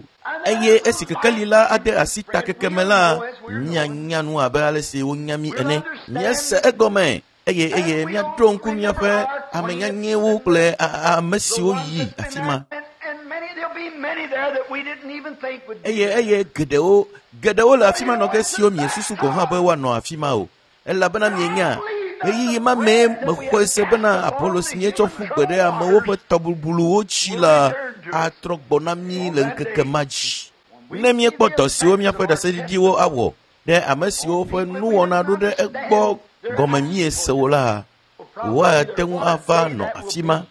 Eye esi kekeli la ade asi takeke me la, míanya nu abe ale si wonya mí ene. Míase egɔme eye eye míaɖo ŋku míaƒe ame nyanyɛwo kple a- a- ame siwo yi afi ma. And, and many, there'll be many there that we didn't even think would be Eye eye geɖewo geɖewo le afi ma nɔ ge siwo miesusu gɔ̃ hã be woanɔ afi ma o. Elabena mienya ɣeyiɣi ma mee mexɔe se bena abolo si míetsɔ ƒu gbe ɖe amewo ƒe tɔbubluwo dzi la atrɔ gbɔ na mí le ŋkeke ma dzi. Ne míekpɔ dɔ siwo míaƒe ɖaseɖiɖiwo awɔ ɖe ame siwo ƒe nuwɔna ɖo ɖe egbɔ gɔme míese o la, woate ŋu ava nɔ afi ma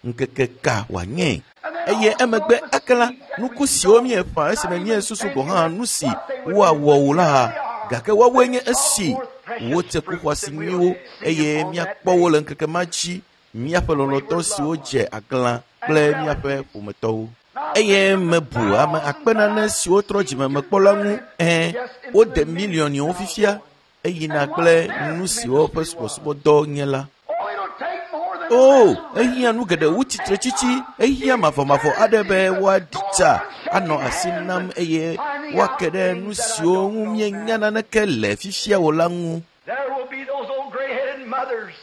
ŋkeke ka wòanye. Eye emegbe ake la, nuku siwo míeƒã esime míesusu gɔ̃ hã nu si woawɔ o la, gake woawoe nye esi wotse ku xɔasi nyuiwo eye míakpɔ wo le ŋkeke ma dzi míaƒe lɔlɔ̃tɔ siwo dze aglã kple míaƒe ƒometɔwo. Eye mebu ame akpe nane siwo trɔ dzime mekpɔ la ŋu ẽ wode miliɔniwo fifia eyina kple nu siwo ƒe subɔsubɔdɔ nye la. Oh, it'll take more than O, ehiã nu geɖe wu tsitretsitsi, ehiã mavɔmavɔ aɖe be woaɖi tsa anɔ asi nam eye woake ɖe nu siwo ŋu míenya naneke le fifia o la ŋu. There will be those old gray-headed mothers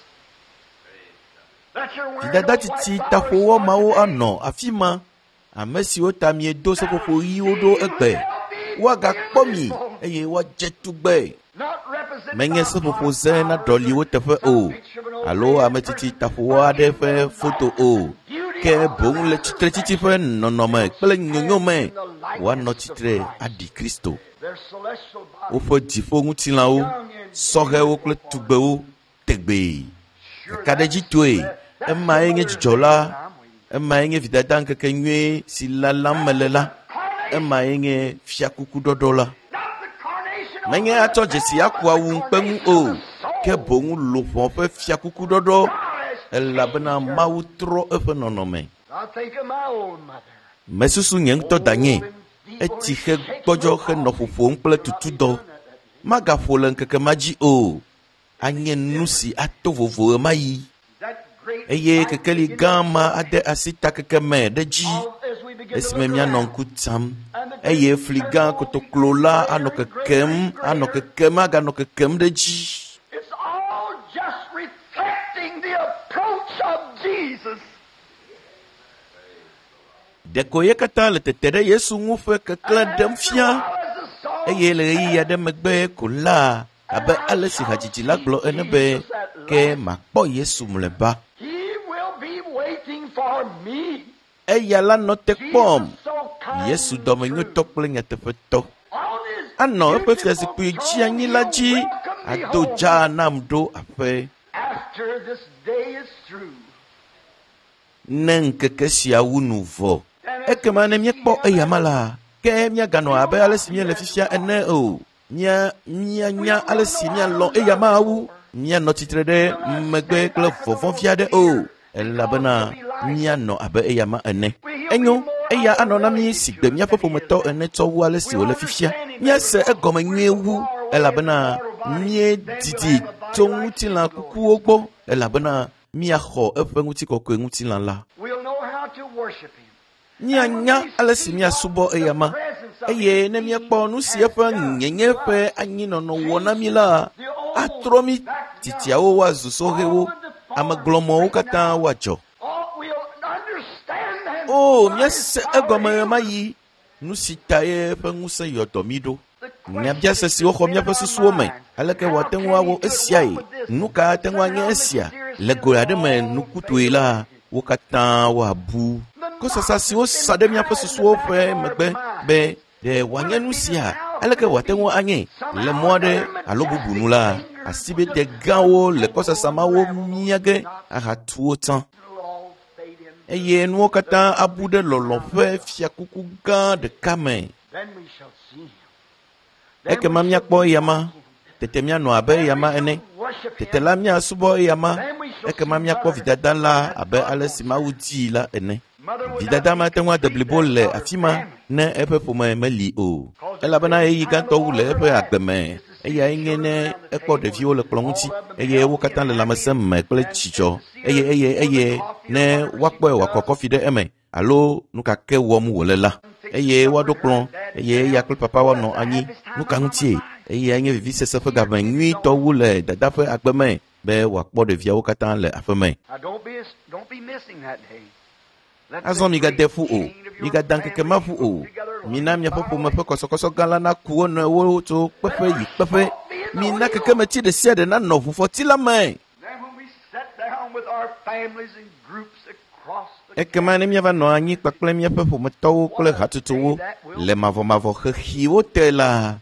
that you're wearing Dada those white tsitsi flowers taƒowɔ for mawo today. anɔ afi ma, ame siwo ta miedo seƒoƒo ɣiwo ɖo egbe. Woagakpɔ mi eye woadze tugbe. Not represented Menye by seƒoƒo ze na ɖɔli wo teƒe o, alo ame tsitsi taƒowɔ aɖe ƒe foto o, ke boŋ le tsitretsitsi ƒe nɔnɔme kple nyonyome woanɔ tsitre aɖi Kristo. Their celestial bodies. Woƒe dziƒoŋutilãwo, sɔhɛwo kple tugbewo tegbee. Kakaɖedzitoe, emae nye dzidzɔ la, emae nye vidada ŋkeke nyuie si lalam mele la, emae nye fiakukuɖɔɖɔ la. Not the Menye atsɔ dzesi aku awu ŋukpe ŋu o, ke boŋ luʋɔ ƒe fiakuku ɖɔɖɔ, elabena Mawu trɔ eƒe nɔnɔme. Mesusu nye ŋutɔ danye, etsi xe gbɔdzɔ henɔ ƒoƒom kple tutudɔ. Magaƒo le ŋkeke ma dzi o. Anye nu si ato vovo ɣemaɣi. Eye kekeli gã ma ade asi takeke me ɖe dzi esime míanɔ ŋku tsam eye fli gã kotoklo la anɔ kekem, anɔ kekem, aganɔ kekem ɖe dzi. It's all just reflecting the approach of Jesus. Ɖeko ye katã le tete ɖe Yesu ŋu ƒe keklẽ ɖem fia eye le ɣeyiɣi aɖe megbe ko la abe ale si hadzidzi la gblɔ ene be ke makpɔ Yesu mlɔeba. He will be waiting for me. Eya la nɔ te kpɔm. Jesus so kind Yesu and dɔmenyotɔ true. kple nyateƒetɔ. On his Anɔ eƒe beautiful fiazikpui dzi throne, anyi la he'll dzi welcome me ado home. dzaa nam ɖo aƒe. After this day is through. Ne ŋkeke sia wu nu vɔ. Ekema ne míekpɔ eyama la, ke míaganɔ abe ale si míele fifia ene o. Mía míanya ale si míalɔ̃ eyama wu. Míanɔ tsitre ɖe megbe kple vɔvɔ̃ vi aɖe o. Elabena míanɔ abe eyama ene. Enyo, eya anɔ na mí si gbe míaƒe ƒometɔ ene tsɔ wu ale si wòle fifia. Míase egɔme nyuie wu elabena míedidi tso ŋutilã kukuwo gbɔ elabena míaxɔ eƒe ŋutikɔkɔe ŋutilã la. We'll know how to worship him. Míanya ale si míasubɔ eyama eye ne míekpɔ nu si eƒe nyenye ƒe anyinɔnɔ wɔ na mí la, atrɔ mí titiawo woazu sɔhɛwo, amegblɔmɔwo katã woadzɔ. Oh, we'll understand then. O, why míase his power egɔme heals us. ɣemaɣi nu si ta ye eƒe ŋusẽ yɔ dɔ mí ɖo. The Nyabiase siwo xɔ míaƒe susuwo me, aleke wòate ŋu awɔ esiae? Nu ka ate ŋu anye esia? Le go aɖe me nukutɔe la, wo katã woabu. Kɔsasa siwo sa ɖe míaƒe susuwo ƒe megbe be ɖe wòanye nu sia, aleke wòate ŋu anye le mɔ aɖe alo bubu nu la, asibide gãwo le kɔsasa mawo mia ge ahatu wo tsã. It'll all fade in. Eye nuwo katã abu ɖe lɔlɔ̃ ƒe fiakuku gã ɖeka me. Then we shall see him. Ekema míakpɔ eyama, tete míanɔ abe eyama ene. Tete la míasubɔ eyama, ekema míakpɔ vidada la abe ale si Mawu dii la ene. Vidada mate ŋu ade blibo le afi ma ne eƒe ƒome meli o. Elabena ɣeyiɣi gãtɔ wu le eƒe agbe me. Eyae nye ne ekpɔ ɖeviwo le kplɔ̃ ŋuti eye wo katã le lãmesẽ me kple dzidzɔ eye eye eye ne woakpɔe wòakɔ kɔfi ɖe eme alo nu ka ke wɔm wòle la eye woaɖo kplɔ̃ eye eya kple papa woanɔ anyi. Nu ka ŋutie? Eyae nye vivisese ƒe game nyuitɔ wu le dada ƒe agbe me be wòakpɔ ɖeviawo katã le aƒe me. Now don't be don't be missing that day. Let Azɔ the migade great ƒu o, chain of your migada ŋkeke ma ƒu o. family together Mina miaƒe far ƒome away. ƒe kɔsɔkɔsɔ gã la naku wo nɔewo tso kpeƒe yi kpeƒe. Mina kekemetsi ɖe sia ɖe nanɔ ʋufɔti la me. Then when we sit down with our families and groups across the Ekema ne míava nɔ anyi kpakple míaƒe ƒometɔwo kple hatsotsowo le mavɔmavɔ xexiwo te la,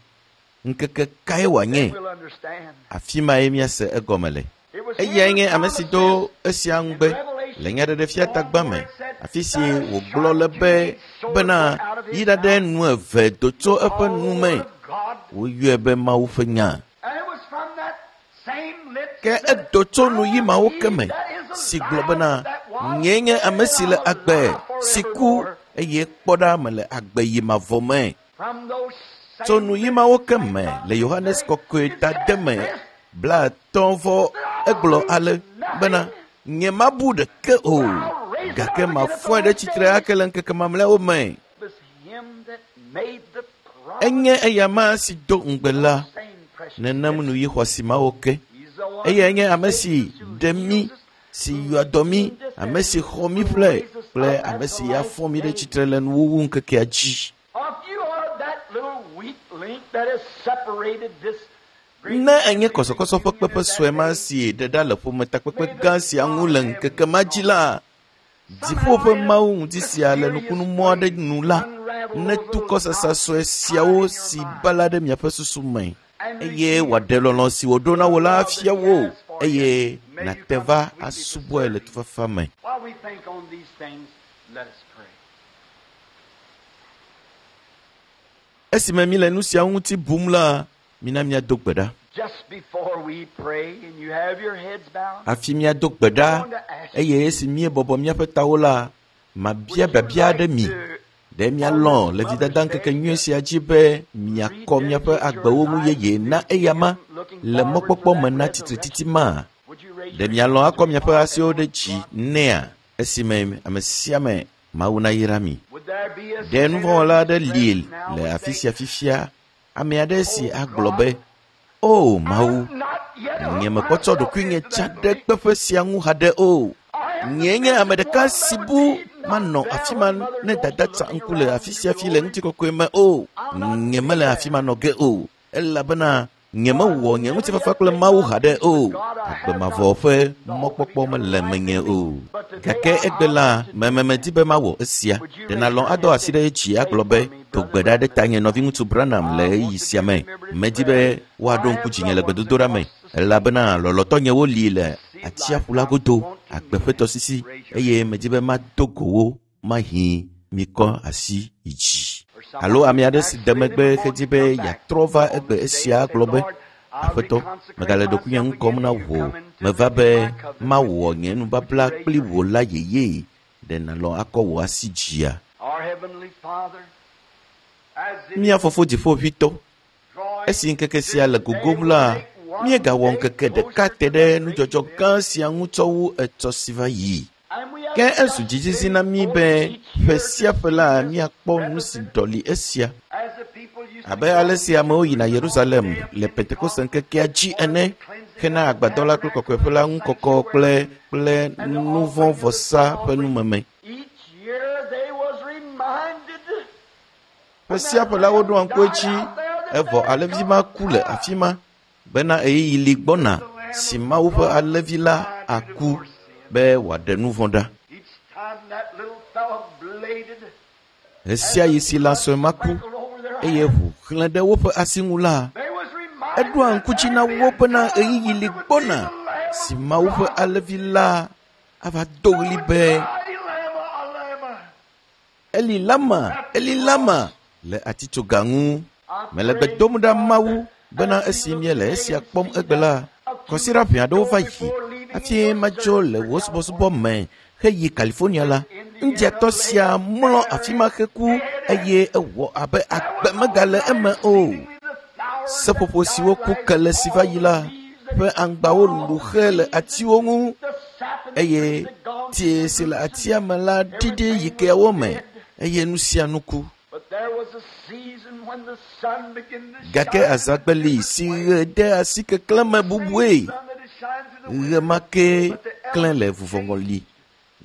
ŋkeke kae wòanye? then we'll understand. Afi mae míase egɔme le. It was Eyae him nye who ame si do esia ŋugbe le nyaɖeɖefia tagba me, afi si wògblɔ le be bena yi ɖaɖe nu eve do tso eƒe nu me. of God. Woyɔe be Mawu ƒe nya. And it was from that same lips Ke that edo tso nu yi mawo ke me si gblɔ bena nyee nye ame si le agbe si ku eye kpɔ ɖa mele agbe yi mavɔ me. from those Tso same nu yi mawo ke me le Yohanes kɔkɔe ta de me blaetɔ̃ vɔ egblɔ ale bena nye mabu ɖeke o gake mafɔe ɖe tsitre ake le ŋkeke mamlɛawo me. was him that made the promise. Enye eyama si do ŋugbe la Same precious nenem nu yi xɔasi mawo ke. He's the one Eyae nye ame si ɖe mí, si yɔa dɔ mí, ame si xɔ mí ƒle kple ame si afɔ mí ɖe tsitre le nuwuwu ŋkekea dzi. If you are that little weak link that has separated this great Ne enye kɔsɔkɔsɔ ƒe kpeƒe sue ma si ɖe ɖa le ƒometakpekpe gã sia ŋu le ŋkeke ma dzi la, dziƒo ƒe Mawu ŋuti sia le nukunumɔ aɖe nu la, netu kɔsasa sue siawo si bala ɖe miaƒe susu me eye wòaɖe lɔlɔ̃ si wòɖo na wò la afia wò eye nàte va asubɔe le tufafa me. While we think on these things, let us pray. Esime mi le nu siawo ŋuti bum la, Mina míado gbe ɖa. Just before we pray and you have your heads bowed, Hafi míado gbe ɖa eye esi míebɔbɔ míaƒe tawo la, mabia biabia aɖe mi. Ɖe míalɔ̃ le vidada ŋkeke nyui sia dzi be miakɔ míaƒe agbewo ŋu yeye na eyama le mɔkpɔkpɔ me na tsitretsitsi ma? would you raise Ɖe mialɔ̃ akɔ miaƒe asiwo ɖe dzi nɛa esime ame sia ame Mawu nayra mi? Would there be a Ɖe nuvɔ̃wɔla aɖe li sinner now le would afi say, sia fifia? Ame aɖe si agblɔ be, O Mawu, "I'm not yet nye hooked mekpɔtsɔ myself ɖokuinye into tsa that ɖe belief. kpeƒe sia ŋu haɖe o. I am Nyee nye ame ɖeka one si that bu would be manɔ not afi there ma when Mother ne goes dada to tsa looking ŋku le around afi sia to fi le glory. ŋutikɔkɔe me o. Nye mele afi ma nɔ ge o elabena nye mewɔ nye ŋutifafa kple Mawu haɖe o. Agbe mavɔ ƒe mɔkpɔkpɔ mele menye o. Gake egbe la, mememedi be mawɔ esia. Ɖe nàlɔ̃ adɔ asi ɖe dzi agblɔ be, do gbe ɖa ɖe tanye nɔviŋutsu Branham le ɣeyiɣi sia me. Medi be woaɖo ŋku dzinye le gbedodoɖa me elabena lɔlɔ̃tɔnyewo li le atsiaƒu la godo, agbe ƒe tɔsisi eye medi be mado go wo mahi mikɔ asi yi dzi. Alo ame aɖe si de megbe hedi be yeatrɔ va egbe esia agblɔ be, Aƒetɔ, megale ɖokuinye ŋu kɔm na wò. Meva be mawɔ nye nubabla kpli wò la yeye. Ɖe nàlɔ̃ akɔ wò asi dzia? Our Heavenly Father, as it Mía fofo dziƒoʋĩtɔ, drawing esi ŋkeke sia le gogom la, míegawɔ ŋkeke ɖeka te ɖe nudzɔdzɔ gã sia ŋu tsɔ wu etsɔ si va yi. and we have Ke ezu dzizizi na mí be ƒe sia ƒe la míakpɔ nu si ɖɔli esia. as the people used to Abe ale si amewo yina Yerusalem le Pentekoste ŋkekea dzi ene hena agbadɔ la kple kɔkɔeƒe la ŋu kɔkɔ kple kple nuvɔ̃vɔsa ƒe numeme. Each year they was reminded Ƒe sia ƒe la woɖoa ŋku edzi evɔ alẽvi ma ku le afi ma bena ɣeyiɣi li gbɔna si Mawu ƒe alẽvi la aku be wòaɖe nu vɔ̃ ɖa. each time that little fellow bladed Ɣe sia ɣi si lã sue ma ku sprinkled over their eye ʋu xlẽ ɖe woƒe asi ŋu la, they was reminded eɖoa ŋku dzi na wo bena ɣeyiɣi li gbɔna si Mawu ƒe alẽvi la ava do ɣli be Eli lama, Eli lama, Eli lama le atitsoga ŋu. Mele gbe dom ɖa Mawu bena esi míele esia kpɔm egbe la, kɔsiɖa ʋɛ aɖewo va yi hafi madzo le wò subɔsubɔ me heyi California la, ŋdiatɔ sia mlɔ afi ma heku eye ewɔ abe agbe megale eme o. Seƒoƒo siwo ku kele si va yi la ƒe aŋgbawo lu xe le atiwo ŋu eye tie si le atia me la ɖiɖi yi keawo me eye nu sia nu ku. But there was a season when the sun began to Gake shine azãgbe li si ɣe de asi keklẽ me bubue. sun that it shines through the Ɣe ma ke klẽ le vuvɔŋɔli.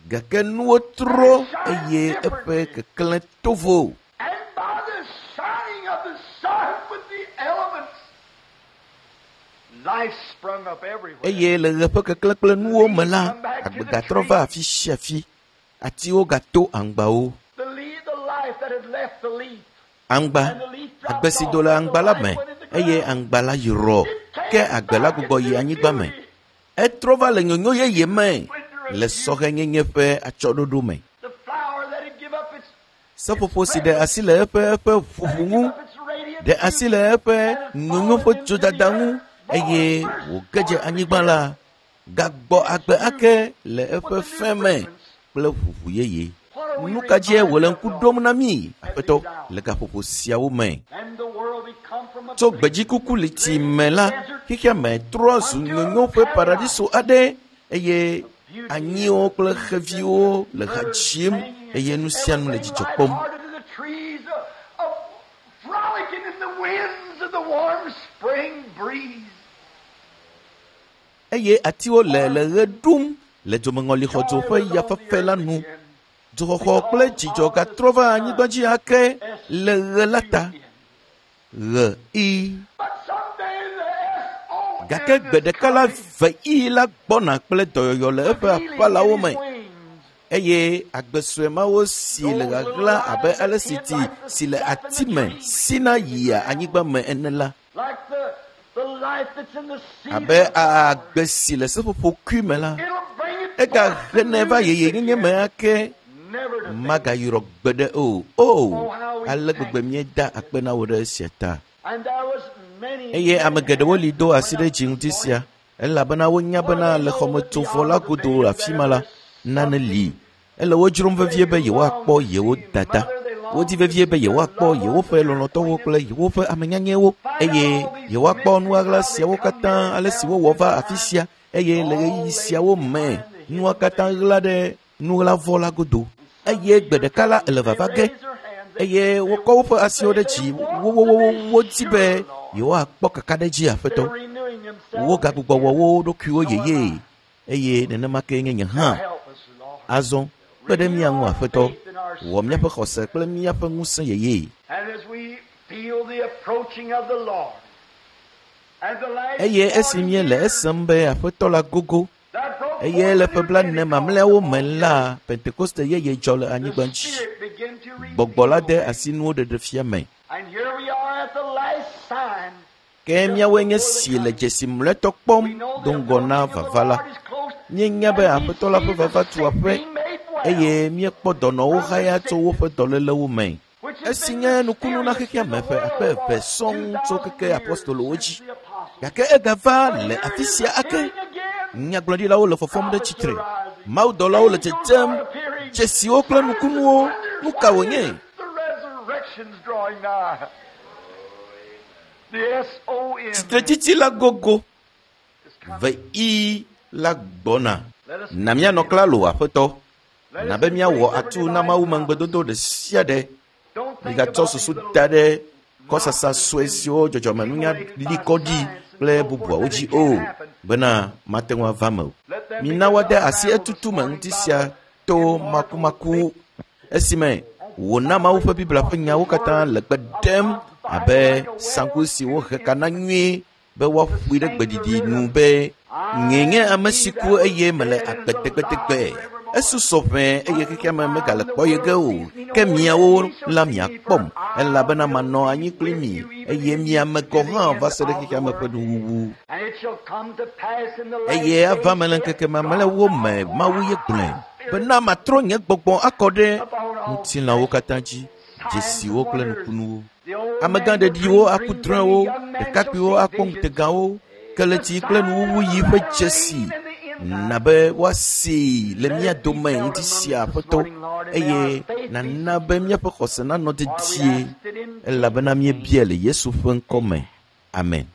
Gake nuwo trɔ eye eƒe keklẽ to vo. And by the shining of the sun with the elements, life sprung up everywhere. Eye le ɣe ƒe keklẽ kple nuwo me la, agbe gatrɔ va afi sia afi. Atiwo gato aŋgbawo. The leaf, the life that had left the leaf, Aŋgba, agbe si do le aŋgba la me eye aŋgba la yrɔ. Ke agbe la gbugbɔ yi anyigba me. Etrɔ va le nyonyo yeye me le sɔhɛnyenye ƒe atsyɔ̃ɖoɖo me. the flower that had give up its, Seƒoƒo si ɖe asi le eƒe eƒe ʋuʋu ŋu, give up its radiant ɖe asi le eƒe nyonyo ƒe dzodada ŋu eye wòge dze anyigba la, gagbɔ agbe ake le eƒe fẽ me kple ʋuʋu yeye. Nu ka dzie wòle ŋku ɖom na mí, Aƒetɔ, le gaƒoƒo siawo me? And the world become from a Tso gbedzikuku liti me la, xexea me trɔ zu nyonyo ƒe paradiso aɖe eye anyiwo kple xeviwo le ha dzim eye nu sia nu le dzidzɔ kpɔm. Lighthearted to the trees of, of frolicking in the winds of the warm spring breeze. Eye atiwo le le ɣe ɖum le dzomeŋɔlixɔdzo ƒe yafafa la nu. Dzoxɔxɔ kple dzidzɔ gatrɔ va anyigba dzi ake le ɣe la ta. Ɣe i. But someday the S O Gake gbe ɖeka la ve i la gbɔna kple dɔyɔyɔ le eƒe aƒalawo me eye agbe sue mawo si le ɣaɣla abe ale si ti si le ati me sina yia anyigba me ene la Like the, the life that's in the seed. abe agbe si le seƒoƒokui me la It'll bring it egahenɛ va yeyenyenye me ake never to magayɔrɔ gbeɖe o o ale gbegbe míeda akpe na wò ɖe esia ta And there was Eye ame geɖewo li do asi ɖe dzi ŋuti sia elabena wonya bena le xɔmetsovɔ la godo le afi ma la, nane li. Ele wo dzrom vevie be yewoakpɔ yewo dada. Wodi vevie be yewoakpɔ yewoƒe lɔlɔ̃tɔwo kple yewoƒe amenyanyɛwo eye yewoakpɔ nu ɣaɣla siawo katã ale si wowɔ va afi sia eye le ɣeyiɣi siawo me nua katã ɣla ɖe nuɣlavɔ la godo. Eye gbe ɖeka la ele vava ge eye wokɔ woƒe asiwo ɖe dzi wowowowo wodi be yewoakpɔ kakaɖedzi Aƒetɔ. Wogagbugbɔ wɔ wo ɖokuiwo yeye eye nenema ke nye nye hã. Azɔ kpe ɖe mía ŋu Aƒetɔ, wɔ míaƒe xɔse kple míaƒe ŋusẽ yeye. Eye esi míele esem be Aƒetɔ la gogo eye le ƒe blaene mamlɛawo me la, Pentekoste yeye dzɔ le anyigba dzi. Gbɔgbɔ la de asi nuwo ɖeɖe fia me. Ke míawoe nye si le dzesi mlɔetɔ kpɔm do ŋgɔ na vava la. Míenya be Aƒetɔ la ƒe vava tu aƒe eye míekpɔ dɔnɔwo haya tso woƒe dɔlélewo me. Esi nye nukunu na xexea me ƒe akpe eve sɔŋ tso keke apostolowo dzi. Gake egava le afi sia ake. Nyagblɔɖilawo le fɔfɔm ɖe tsitre. Mawudɔlawo le dzedzem. Dzesiwo kple nukunuwo. Nu ka wònye? Tsitretsitsi la gogo. Ve I la gbɔna. Na míanɔ klalo Aƒetɔ. Na be míawɔ atu na Mawu me ŋugbedodo ɖe sia ɖe. Migatsɔ susu da ɖe kɔsasa sue siwo dzɔdzɔmenunya li kɔ ɖi kple bubuawo dzi o bena mate ŋu ava me o. Mina woade asi etutu me ŋuti sia to makumaku esime wòna Mawu ƒe Biblia ƒe nyawo katã le gbe ɖem abe saŋku si wohe ka na nyuie be woaƒoe ɖe gbeɖiɖi nu be nye nye ame si ku eye mele agbe tegbetegbe. Esusɔ ʋɛ eye xexea me megale kpɔ ye ge o. Ke miawo la miakpɔm elabena manɔ anyi kpli mi eye miame gɔ̃ hã va se ɖe xexea me ƒe nuwuwu. Eye ava me le ŋkeke mamlɛawo me Mawu ye gblɔe bena matrɔ nye gbɔgbɔ akɔ ɖe ŋutilãwo katã dzi, dzesiwo kple nukunuwo. Amegã ɖeɖiwo aku drɔ̃ewo, ɖekakpuiwo akpɔ ŋutegawo, keletsi kple nuwuwu yi ƒe dzesi na be woasee le mía dome ŋuti sia Aƒetɔ eye nana be míaƒe xɔse nanɔ dedie elabena míebia le Yesu ƒe ŋkɔ me. Amen.